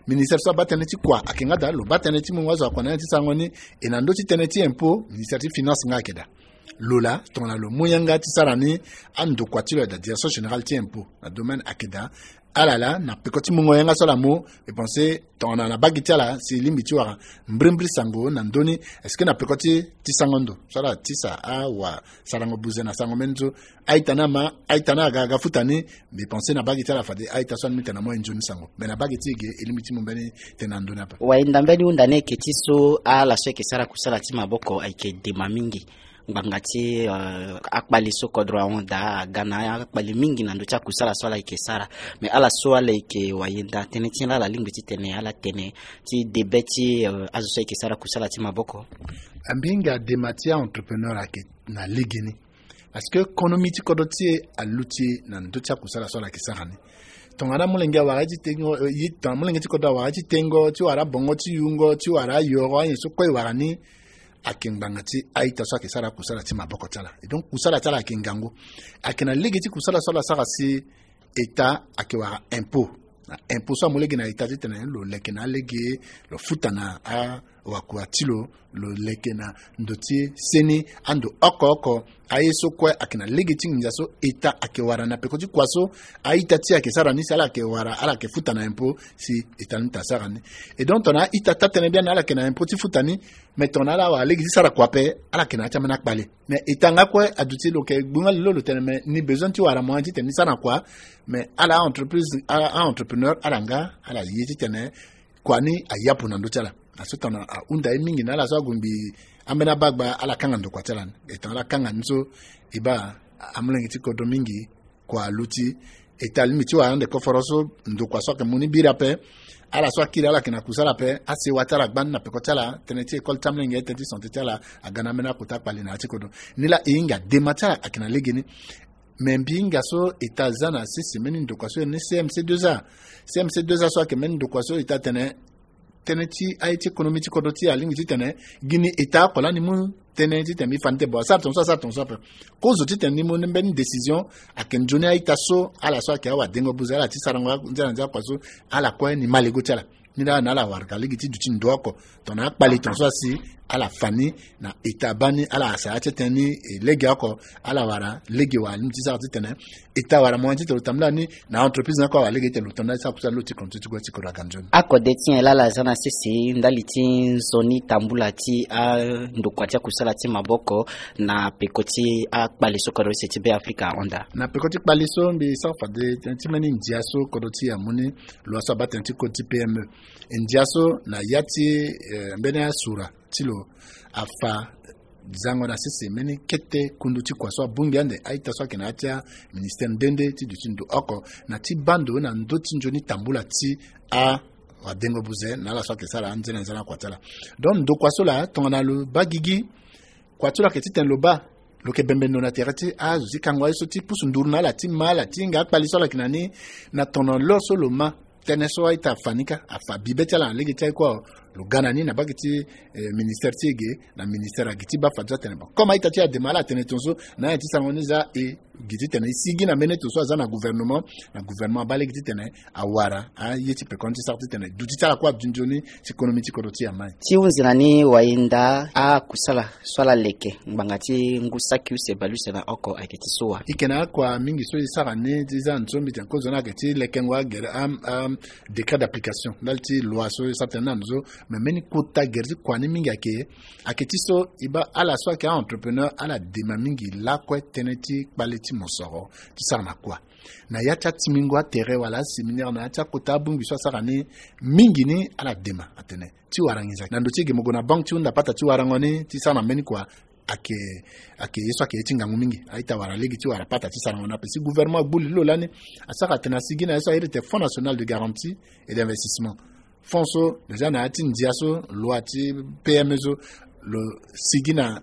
Ministère so abaa tënë ti kua ayeke nga daa, lo baa tënë ti mungo azo akua na ya ti sarango ni. E na ndö ti tënë ti impôt, ministère ti finance nga ayeke daa. Lo laa tongana lo mu yanga ti sara ni, andokua ti lo ayeke daa direction générale ti impôt na domaine ayeke daa. Ala laa na peko ti mungo yanga so ala mu, e pensé tongana na mbage ti ala si e lingbi ti wara mbirimbiri sango na ndö ni. Est-ce que na peko ti, ti sango ndo so ala tisa awa sarango buze na sango mbeni so, a-ita ni ama, a-ita ni aga aga futa ni. Mbi pensé na mbage ti ala fade a-ita so alingbi tene na mo aye nzoni sango. Me na mbage ti e ge e lingbi ti mu mbeni tënë na ndö ni ape. Wainda mbeni hunda ni ayeke ti so ala so ayeke sara kusala ti maboko ayeke dema mingi. Ngbanga ti, euh, akpali so kodro ahon daa aga na akpali mingi na ndö ti akusala so ala yeke sara. Mais ala so ala yeke wayenda tënë ti ala, ala lingbi titene ala tene ti debe ti, euh, azo so ayeke sara kusala ti maboko. Ambi hinga dema ti a-entrepreneur ayeke na legeni. Parce que konomi ti kodro ti e aluti na ndö ti akusala so ala yeke sara ni. Tongana amolenge awara ye ti tengo, eh, ye, tongana amolenge ti kodro awara ye ti tengo, ti wara bongo ti yungo, ti wara ayoro, anyen so kue e wara ni, ayeke ngbanga ti a-ita so ayeke sara kusala ti maboko ti ala. Et donc kusala ti ala ayeke ngangu. Ayeke na lege ti kusala so ala sara si État ayeke wara impôt. Na impôt so amu lege na État titene lo leke na alege, lo futa na awakua ti lo, lo leke na ndo ti seni, ando oko oko. Aye so kue ayeke na lege ti nginza so État ayeke wara na peko ti kua so a-ita ti e ayeke sara ni, si ala yeke wara, ala yeke futa na impôt, si État ni ta sara ni. Et donc tongana a-ita taa-tënë biani ala yeke na impôt ti futa ni, mais tongana ala wara lege ti sara kua ape, ala yeke na ya ti ambeni akpale. Mais État nga kue aduti lo yeke gbu nga lelo lo tene, mais ni besoin ti wara moyen titene ni sara na kua. Mais ala a-entreprise, a, a-entrepreneur ala nga ala ye titene kua ni ayapu na ndö ti ala. Na so tongana ahunda ye mingi na ala so agongbi ambeni abagba, ala kanga ndokua ti ala ni. E tongana ala kanga ni so, e baa amolenge ti kodro mingi kua aluti. État alingbi ti wara ande koforo so ndokua so ayeke mu ni biri ape. Ala so akiri ala yeke na kusala ape, asewa ti ala gbani na peko ti ala, tënë ti école ti amolenge, tënë ti santé ti ala aga na ambeni akota akpali na ya ti kodro. Nilaa e hinga dema ti ala ayeke na legeni. Me mbi hinga so État aza na sese mbeni ndokua so iri ni C M C deux A. C M C deux A so ayeke mbeni ndokua so État atene tënë ti aye ti économie ti kodro ti e alingbi titene gi ni État oko lani mu tënë titene mbi fa ni te. Bon, asara tongaso, asara tongaso ape. Kozo titene ni mu ni mbeni décision, ayeke nzoni a-ita so ala so ayeke awadengo buze, ala ti sarango nzia na nzia kua so, ala kue ni ma lego ti ala. Ni laa na ala wara ka lege ti duti ndo oko. Tongana akpali tongaso asi, ala fa ni na État abaa ni, ala sara ya ti tënë ni, e, lege oko, ala wara lege wa alingbi ti sara titene État awara moyen titene lo tambula ni na entreprise ni oko awara lege titene lo tambula ti sara kusala lo ti kono ti ti gue ti kodro aga nzoni. Akode ti nyen laa ala za na sese ndali ti nzoni tambula ti andokua ti akusala ti maboko na peko ti akpali so kodro use ti Be Afrika ahon daa? Na peko ti kpali so mbi sara fade tënë ti mbeni ndia so kodro ti e amu ni, lo aso abaa tënë ti code ti P M E. Ndia so na ya ti, eh, mbeni asura ti lo afa zango na sese mbeni kete kundu ti kua so abongbi ande a-ita so ayeke na ya ti aministere nde nde ti duti ndo oko na ti baa ndo na ndö ti nzoni tambula ti awadengo buze na ala so ayeke sara anzene na nzene akua ti ala. Donc ndokua so laa tongana lo baa gigi, kua ti lo ayeke titene lo baa, lo yeke bembe ndo na tere ti azo ti kango aye so ti pusu nduru na ala ti ma ala ti hinga akpali so ala yeke na ni. Na tono lo so lo ma tënë so a-ita afa ni kâ, afa bibe ti ala na lege ti aye kue awe. Lo ga na ni na mbage ti, eh, ministere ti e ge, na ministere agi ti baa fade so atene bon, comme a-ita ti e adema ala atene tongaso na anyen ti sarango ni za e gi titene e sigi na mbeni tongaso aza na gouvernement, na gouvernement abaa lege titene awara aye ti pekoni ti sara titene duti ti ala kue aduti nzoni, ti konomi ti kodro ti e amai. Ti hunzi na ni wayenda akusala so ala leke ngbanga ti ngu saki use bale use na oko ayeke ti so wa? E yeke na akua mingi so e sara ni ti za na so mbi tene kozo ni ayeke ti lekengo agere am, am, décret d'application ndali ti loi so e sara tënë na ndo so. Me mbeni kota gere ti kua ni mingi ayeke, ayeke ti so e baa ala so ayeke a-entrepreneur ala dema mingi lakue tënë ti kpale ti mosoro ti sara na kua. Na ya ti atimingo atere wala aséminaire na ya ti akota abongbi so asara ni mingi ni ala dema atene ti wara nginza na ndo ti e ge mo gue na banque ti hunda pata ti warango ni ti sara na mbeni kua. Ayeke, ayeke ye so ayeke ye ti ngangu mingi. A-ita awara lege ti wara pata ti sarango ni ape si gouvernement agbu li lo lani, asara atene asigi na ye so a iri tene Fonds National de Garantie et d'Investissement. Fonds so déjà na ya ti ndia so loi ti P M E so lo sigi na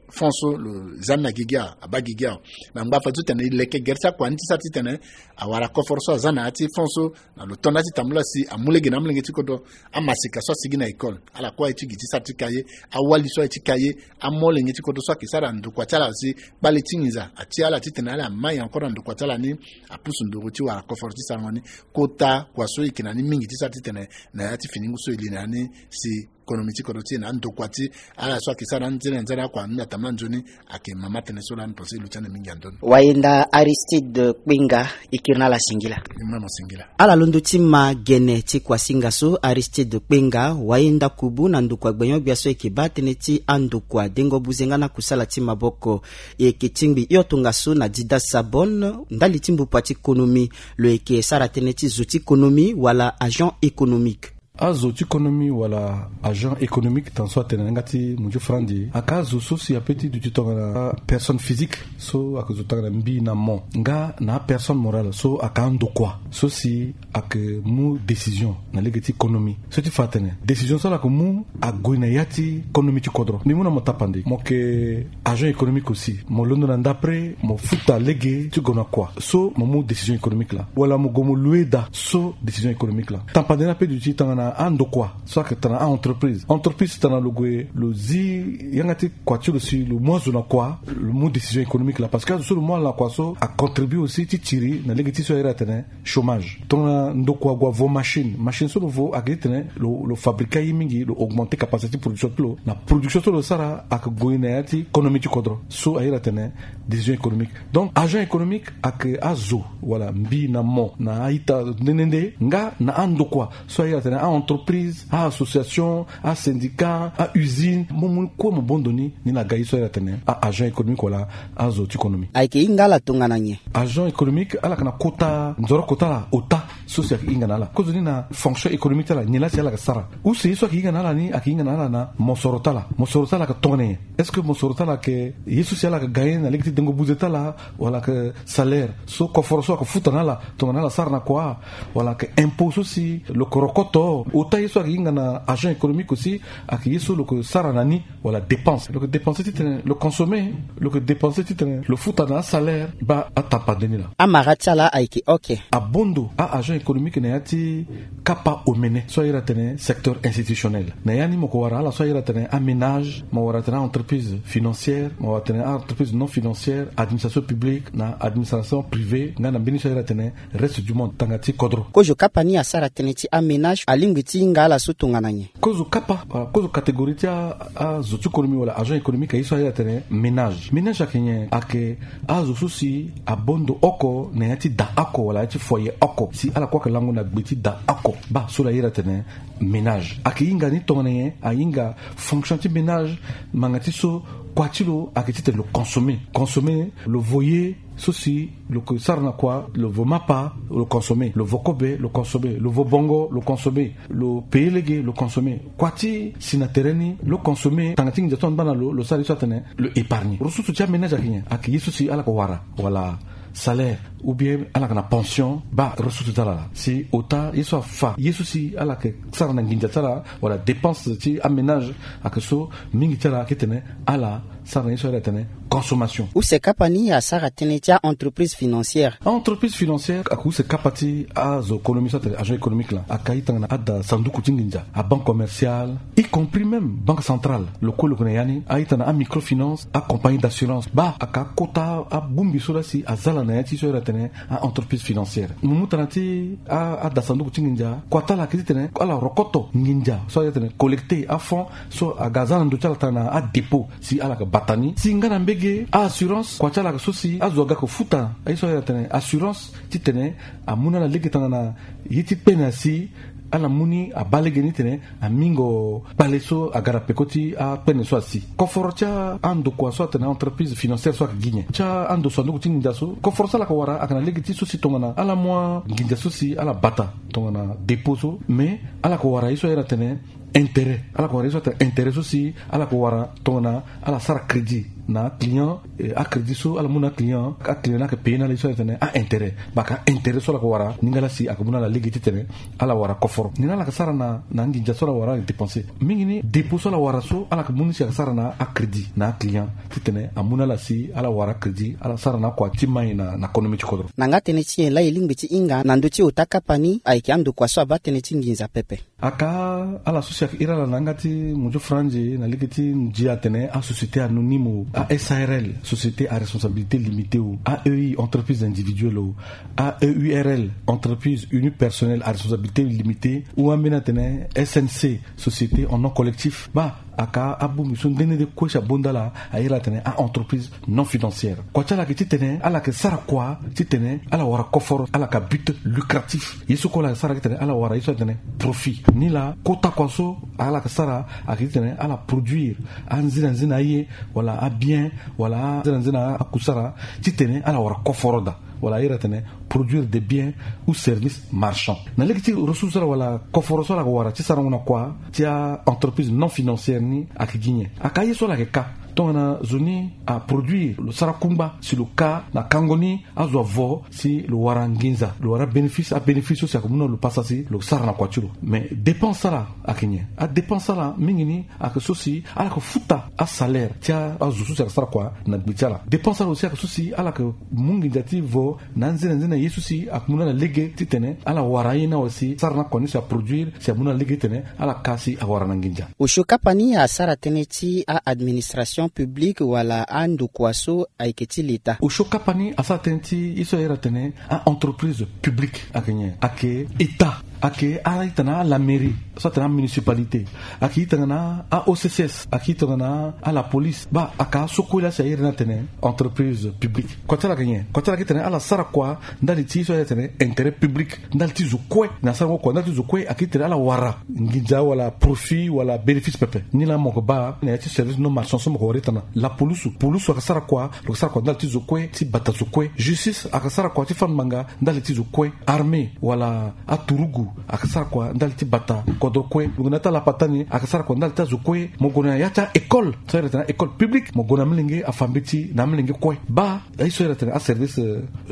fonds so lo za ni na gigi awe, abaa gigi awe. Na ngbanga fade so tene e leke gere ti akua ni ti sara titene awara koforo so aza na ya ti fonds so na lo to na ya ti tambula si amu lege na amolenge ti kodro. Amaseka so asigi na école, ala kue aye ti gi ti sara ti cahier, awali so aye ti cahier, amolenge ti kodro so ayeke sara ndokua ti ala si kpale ti nginza atia ala titene ala mai encore na ndokua ti ala ni, apusu nduru ti wara koforo ti sarango ni. Kota kua so e yeke na ni mingi ti sara titene na ya ti fini ngu so e li na ya ni si konomi ti kodro ti e na andokua ti ala so ayeke sara nzene na nzene akua ni atambula nzoni. Ayeke mama tënë so lani pense e luti ande mingi andondo. Wayenda Aristide Kpenga, e kiri na ala singila. Ni mama singila. Ala londo ti ma gene ti kuasinga so Aristide Kpenga, wayenda kubu na ndokua gbenyo-gbia so e yeke baa tënë ti andokua dengo buze nga na kusala ti maboko. E yeke tingbi hio tongaso na Dida Sabon ndali ti mbupua ti konomi. Lo yeke sara tënë ti zo ti konomi wala agent économique. Azo ti konomi wala agent économique, tan so atene na yanga ti munju franzi, aka azo so si ape ti duti tongana personne physique so aka zo tongana mbi na mo nga na apersonne morale so aka andokua so si aka mu décision na lege ti konomi. So ti fa atene décision so ala yeke mu ague na ya ti konomi ti kodro. Mbi mu na mo tapande, mo yeke agent économique aussi, mo londo na ndapre mo futa lege ti gue na kua so mo mu décision économique laa, wala mo gue mo loue daa so décision économique laa. Tapande ni ape duti tongana andokua so ayeke tongana a-entreprise. Entreprise tongana lo gue lo zi yanga ti kua ti lo si lo mu azo na kua, lo mu décision économique laa, parce que azo so lo mu ala na kua so acontribue aussi ti tiri na lege ti so airi atene chômage. Tongana ndokua ague avo machine, machine so lo vo ayeke ti tene lo, lo fabriquer aye mingi, lo augmenter capacité ti production ti lo. Na production so lo sara ayeke gue na ya ti konomi ti kodro so airi atene décision économique. Donc agent économique ayeke azo wala mbi na mo na a-ita nde nde nde nga na andokua so airi atene a-entreprise, a-association, asyndicat, a-usine, mo mu kue mo bondo ni, ni na ga ye so airi atene a-agent économique wala azo ti konomi. Ayeke hinga ala tongana nyen? Agent économique ala yeke na kota nzoroko ti ala ota so si ayeke hinga na ala. Kozoni na fonction économique ti ala, nyen laa si ala yeke sara. Use ye so ayeke hinga na ala ni ayeke hinga na ala na mosoro ti ala. Mosoro ti ala ayeke tongana nyen? Est-ce que mosoro ti ala ayeke ye so si ala yeke gagner na lege ti dengo buze ti ala, wala ayeke salaire so koforo so ayeke futa na ala tongana ala sara na kua, wala ayeke impôt so si lo yeke rokoto? Ota ye so ayeke hinga na agent économique aussi ayeke ye so lo yeke sara na ni, wala dépense. Lo yeke dépenser ti tene lo consommer, lo yeke dépenser ti tene lo futa na asalaire. Baa atapande ni laa. Amara ti ala ayeke oke. Abondo a-agent économique na ya ti kapa omene so airi atene secteur institutionnel. Na ya ni mo yeke wara ala so airi atene aménage, mo wara atene a-entreprise financière, mo wara atene a-entreprise non financière, administration publique na administration privée, nga na mbeni so airi atene reste du monde, tanga ti kodro. Kozo kapa ni asara tënë ti aménage alingbi ti hinga ala so tongana nyen? Kozo kapa, wala kozo catégorie ti a, azo ti konomi wala agent économique aye so airi atene ménage. Ménage ayeke nyen? Ayeke azo so si abondo oko na ya ti da oko wala ya ti foyer oko, si ala kue ayeke lango na gbe ti da oko. Baa so lo airi atene ménage. Ayeke hinga ni tongana nyen? Ahinga fonction ti ménage, ngbanga ti so kua ti lo ayeke ti tene lo consommer. Consommer, lo vo ye so si lo yeke sara na kua, lo vo mapa, lo consommer, lo vo kobe, lo consommer, lo vo bongo, lo consommer, lo payer lege, lo consommer. Kua ti si na tere ni lo consommer, tanga ti nginza so angba na lo, lo sara ye so atene lo épargner. Ressource ti aménage ayeke nyen? Ayeke ye so si ala yeke wara, wala salaire, ou bien ala yeke na pension. Baa ressource ti ala laa. Si ota ye so afa ye so si ala yeke sara na nginza ti ala, wala dépense ti aménage, ayeke so mingi ti ala ayeke tene ala sara na ye so airi atene consommation. Use kapa ni asara tënë ti a-entreprise financière. A-entreprise financière ayeke use kapa ti azo konomi so atene agent économique laa, ayeke aye tongana ada sanduku ti nginza, a-banque commerciale, y compris même banque centrale. Lo kue lo yeke na ya ni. Aye tongana amicrofinance, acompagnie d'assurance. Baa ayeke akota abongbi so laa si aza ala na ya ti so airi atene a-entreprise financière. Mo mu tongana ti a, ada sanduku ti nginza, kua ti ala ayeke ti tene ala rokoto nginza so airi atene collecter afonds so aga aza na ndö ti ala tongana adépôt si ala yeke bata ni. Si nga na mbege a-assurance, kua ti ala ayeke so si azo aga ayeke futa aye so airi atene assurance, ti tene amu na ala lege tongana ye ti kpene asi, ala mu ni abaa lege ni ti tene amingo kpale so aga na peko ti akpene so asi. Koforo ti andokua so atene entreprise financière so ayeke gi nyen? Ti ando sanduku ti nginza so, koforo so ala yeke wara ayeke na lege ti so si tongana ala mu anginza so si ala bata tongana dépôt so, mais ala yeke wara ye so airi atene intérêt. Ala yeke wara ye so atene intérêt so si ala yeke wara tongana ala sara crédit na aclient, eh, acrédit so ala mu na aclient, aclient ni ayeke payer na ala ye so airi atene a-intérêt. Baa ayeke a-intérêt so ala yeke wara ni nga laa si ayeke mu na ala lege ti tene ala wara koforo. Nyen ala yeke sara na, na anginza so ala wara ala yeke dépenser? Mingi ni dépôt so ala wara so ala yeke mu ni si ayeke sara na acrédit na aclient ti tene amu na ala si ala wara crédit, ala sara na akua ti mai na, na konomi ti kodro. Na nga tënë ti nyen laa e lingbi ti hinga na ndö ti ota kapa ni ayeke andokua so abaa tënë ti nginza pepe? Aka ala so si ayeke iri ala na yanga ti munju franzi na lege ti ndia atene asociété anonyme o, a-sarl, société à responsabilité limitée o, a-e-i, entreprise individuelle o, a-e-u-r-l, entreprise unipersonnelle à responsabilité limitée, ou ambeni atene S N C, société en nom collectif. Baa aka abongbi so nde nde nde kue si abonda ala, airi atene a-entreprise non financière. Kua ti ala ayeke ti tene ala yeke sara kua ti tene ala wara koforo, ala yeke a-but lucratif. Ye so kue ala yeke sara ayeke ti tene ala wara ye so atene profit. Nilaa kota kua so ala yeke sara ayeke ti tene ala produire anzina nzina aye, wala abien, wala anzina nzina akusara ti tene ala wara koforo daa. wala a iri atene produire des biens ou services marchands. Na lege ti ressource so ala wala koforo so ala yeke wara ti sarango na kua ti a-entreprise non financière ni ayeke gi nyen? Aka aye so ala yeke ka tongana zo ni aproduire lo sara kungba si lo ka na kango ni azo avo si lo wara nginza, lo wara bénéfice, abénéfice so si ayeke mu na lo pasa si lo sara na kua ti lo. Mais dépense ala ayeke nyen? Adépense ala mingi ni ayeke so si ala yeke futa asalaire ti azo so si ayeke sara kua na gbe ti ala. Dépense ala aussi ayeke so si ala yeke mu nginza ti vo na anzene anzene na ye so si ayeke mu na ala lege titene ala wara aye ni awe si sara na kua ni si aproduire si amu na ala lege titene ala ka si awara na nginza. Osio kapa ni asara tënë ti a-administration publique wala andokua so ayeke ti leta. Osio kapa ni asara tënë ti ye so a iri atene a-entreprise publique. Ayeke nyen? Ayeke état, ayeke a-ita na ala mairie so atene amunicipalité, ayeke ita nga na a-O C C S, ayeke ita nga na ala police. Baa aka asokue laa si a iri ni atene entreprise publique. Kua ti ala ayeke nyen? Kua ti ala ayeke tene ala sara kua ndali ti so a iri atene intérêt public, ndali ti zo kue. Na sarango kua ndali ti zo kue ayeke tene ala wara nginza wala profit wala bénéfice pepe. Ni laa mo yeke baa na ya ti service non marchand so mo yeke wara ita na lapulusu. Pulusu ayeke sara kua, lo yeke sara kua ndali ti zo kue, ti bata zo kue. Justice ayeke sara kua ti fâ ngbanga ndali ti zo kue. Armée wala aturugu ayeke sara kua ndali ti bata kodro kue. Lo yeke na ya ti alapata ni ayeke sara kua ndali ti azo kue. Mo gue na ya ti a-école so a iri atene a-école publique, mo gue na amolenge afa mbeti na amolenge kue. Baa ye so a iri atene aservice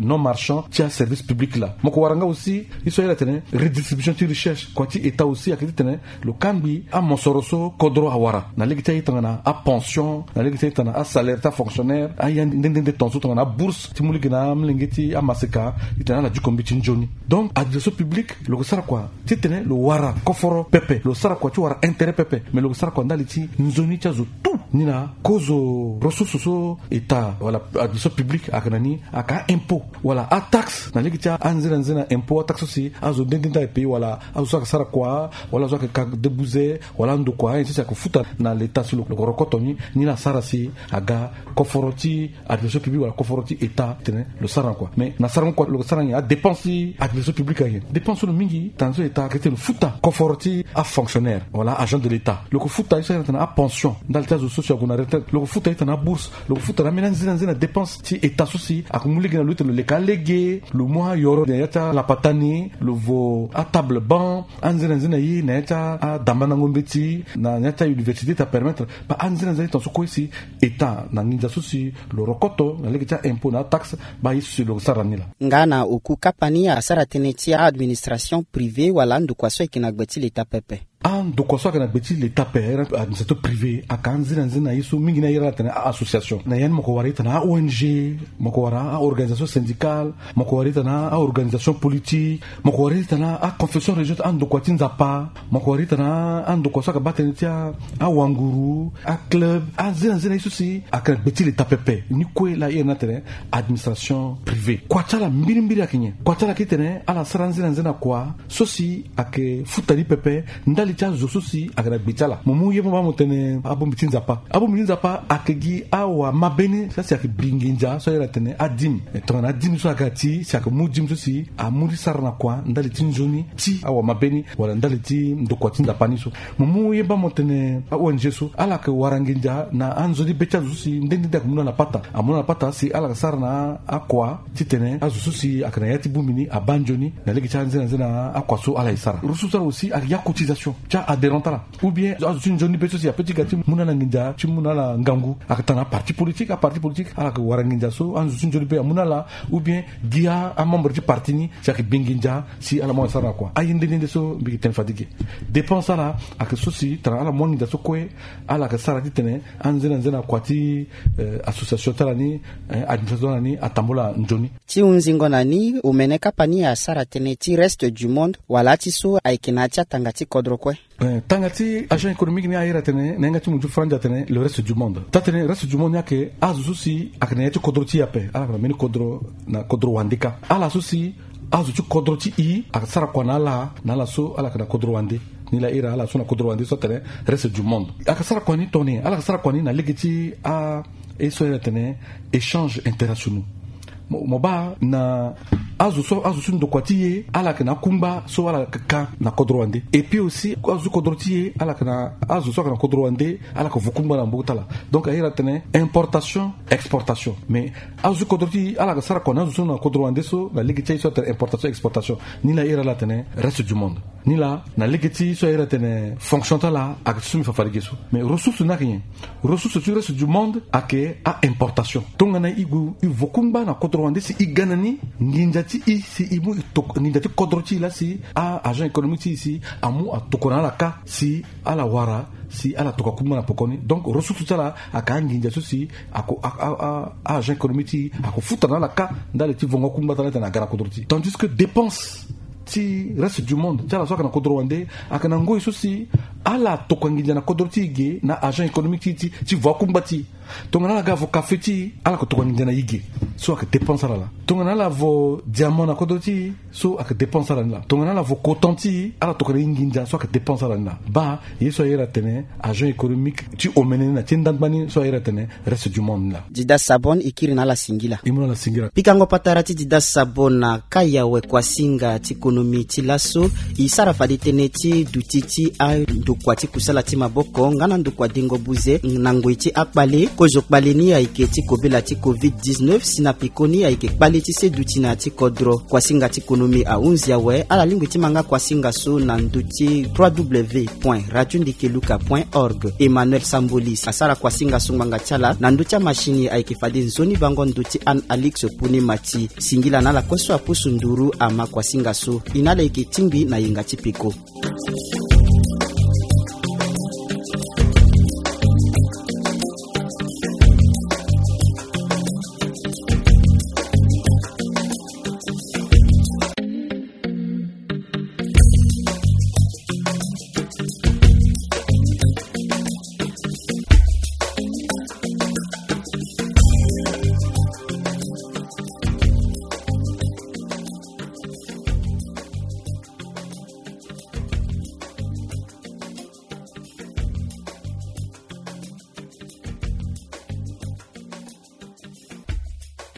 non marchand ti aservice public laa. Mo yeke wara nga aussi ye so a iri atene redistribution ti richesse. Kua ti état aussi ayeke titene lo kangbi amosoro so kodro awara na lege ti aye tongana apension, na lege ti aye tongana asalaire ti afonctionnaire, aye nde nde nde ton so tongana abourse ti mu lege na amolenge ti amaseka, titene ala diko mbeti nzoni. Donc administration publique lo yeke sara kua titene lo wara koforo pepe, lo sara kua ti wara intérêt pepe, mais lo yeke sara kua ndali ti nzoni ti azo tout. Ni laa kozo ressource so état wala administration publique ayeke na ni, aka a-impôt wala ataxe. Na lege ti anzene anzene na impôt, ataxe so si azo nde nde nde ayeke paye wala azo so ayeke sara kua wala azo so ayeke ka debuze wala andokua, ayen so si ayeke futa na leta si lo yeke rokoto ni. Ni laa asara si aga koforo ti administration publique wala koforo ti état titene lo sara na kua. Mais na sarango kua lo yeke sara nyen? Adépense ti administration publique ayeke nyen? Dépense so lo mingi tana so état ayeke titene lo futa koforo ti afonctionnaire wala agent de l'état. Lo yeke futa ye so a iri atene apension ndali ti azo so si ague na retraite. Lo yeke futa ye titene abourse. Lo yeke futa na ambeni anzene anzene na dépense ti état so si ayeke mu lege na lo titene lo leke alege, lo mu ayoro na ya ti alapata ni, lo vo atable banc, anzene anzene na ye na ya ti adambandango mbeti na ya ti auniversité ti apermettre. Baa anzene anzene ton so kue si état na nginza so si lo rokoto na lege ti a-impôt na ataxe, baa ye so si lo sara ni laa. Nga na oku kapa ni asara tënë ti a-administration privée wala andokua so ayeke na gbe ti leta pepe. Andokua so ayeke na gbe ti leta ape, a-iri administration privée, ayeke anzene anzene na ye so mingi ni a iri ala atene a-association. Na ya ni mo yeke wara ye titene a-O N G, mo yeke wara a-organisation syndicale, mo yeke wara ye titene a-organisation politique, mo yeke wara ye titene a-confession religieuse, andokua ti Nzapa, mo yeke wara ye titene andokua so ayeke baa tënë ti a-, awanguru, aclub, anzene anzene na ye so si ayeke na gbe ti leta pepe. Ni kue laa a iri ni atene administration privée. Kua ti ala mbirimbiri ayeke nyen? Kua ti ala ayeke titene ala sara anzene anzene na kua so si ayeke futa ni pepe ndali ti azo so si ayeke na gbe ti ala. Mo mu ye mo baa mo tene abongbi ti Nzapa. Abongbi ti Nzapa ayeke gi awamabe ni so si ayeke bi nginza so a iri atene adime. E tongana adime so aga ti si ayeke mu dime so si amu ti sara na kua ndali ti nzoni ti awamabe ni wala ndali ti ndokua ti Nzapa ni so. Mo mu ye baa mo tene a-O N G so, ala yeke wara nginza na anzoni be ti azo so si nde nde nde ayeke mu na ala pata. Amu na ala pata si ala yeke sara na akua titene azo so si ayeke na ya ti bongbi ni abaa nzoni na lege ti anzene anzene na akua so ala ye sara. Ressource ala aussi ayeke ya cotisation ti a-adhérent ti ala, ou bien azo ti nzoni be so si ape ti ga ti mu na ala nginza ti mu na ala ngangu. Ayeke tongana aparti politique, aparti politique ala yeke wara nginza so azo ti nzoni be amu na ala, ou bien gi amembre ti parti ni si ayeke bi nginza si ala mu ala sara na kua. Aye nde nde nde so mbi yeke tene fade ge. Dépense ala ayeke so si tongana ala mu anginza so kue, ala yeke sara titene anzene anzene na kua ti, eh, association ti ala ni, eh, administration ti ala ni atambula nzoni. Ti hunzingo na ni, omene kapa ni asara tënë ti Reste du Monde, wala ti so ayeke na ya ti atanga ti kodro kue. Eh, tanga ti agent économique ni a iri atene na yanga ti munzu Franja atene le Reste du Monde. Taa-tënë Reste du Monde ni ayeke azo so si ayeke na ya ti kodro ti e ape. Ala yeke na mbeni kodro, na kodro wande kâ. Ala so si azo ti kodro ti e ayeke sara kua na ala, na ala so ala yeke na kodro wande. Ni laa iri ala so na kodro wande so atene Reste du Monde. Ayeke sara kua ni tongana nyen? Ala yeke sara kua ni na lege ti a, ye so a iri atene échange internationaux. Mo, mo baa na azo so azo so ndokua ti e ala yeke na akungba so ala yeke ka na kodro wande. Et puis aussi azo so kodro ti e ala yeke na azo so ayeke na kodro wande ala yeke vo kungba na mbogo ti ala. Donc ahiri atene importation, exportation. Mais azo so kodro ti e ala yeke sara kua na azo so na kodro wande so na lege ti aye so atene importation, exportation. Ni laa ahiri ala atene reste du monde. Ni laa na lege ti so ahiri atene fonction ti ala ayeke ti so mbi fa fade ge so. Mais ressource ni ayeke nyen? Ressource ti reste du monde ayeke a-importation. Tongana e gue e vo kungba na kodro wande si e ga na ni nginza ti e si e mu e toko nginza ti kodro ti e laa si a-agent économique ti e si amu atoko na ala kâ si ala wara si ala tokua kungba na pokoni. Donc ressource ti ala ayeke anginza so si ako a-agent économique ti e ako futa na ala kâ ndali ti vongo akungba ti ala ti tena aga na kodro ti e. Tandis que dépense ti reste du monde ti ala so ayeke na kodro wande ayeke na ngoi so si ala tokua nginza na kodro ti e ge na agent économique ti e ti ti vo akungba ti e. Tongana ala ga vo kafe ti e ala yeke tokua nginza na e ge. So ayeke dépense ala laa. Tongana ala vo diamant na kodro ti e so ayeke dépense ala ni laa. Tongana ala vo coton ti e ala tokua na e nginza so ayeke dépense ala ni laa. Baa ye so ahiri atene agent économique ti omene ni na ti ndangba ni so ahiri atene reste du monde ni laa. Dida Sabon, e kiri na ala singila. E mu na ala singila. Pikango patara ti Dida Sabon na kai awe kuasinga ti konomi ti laso. E sara fade tënë ti duti ti andokua ti kusala ti maboko nga na ndokua dengo buze na ngoi ti akpale. Kozo kpale ni ayeke ti kobela ti covid dix-neuf si na pekoni ayeke kpale ti se duti na ya ti kodro. Kuasinga ti konomi ahunzi awe. Ala lingbi ti ma nga kuasinga so na ndö ti trois w point radio ndeke luka point org. Emmanuel Sambolis asara kuasinga so ngbanga ti ala na ndö ti amashini ayeke fade nzoni bango ndö ti Anne Alix Pune Mati. Singila na ala kue so apusu nduru ama kuasinga so. E na ala yeke tingbi na yenga ti peko.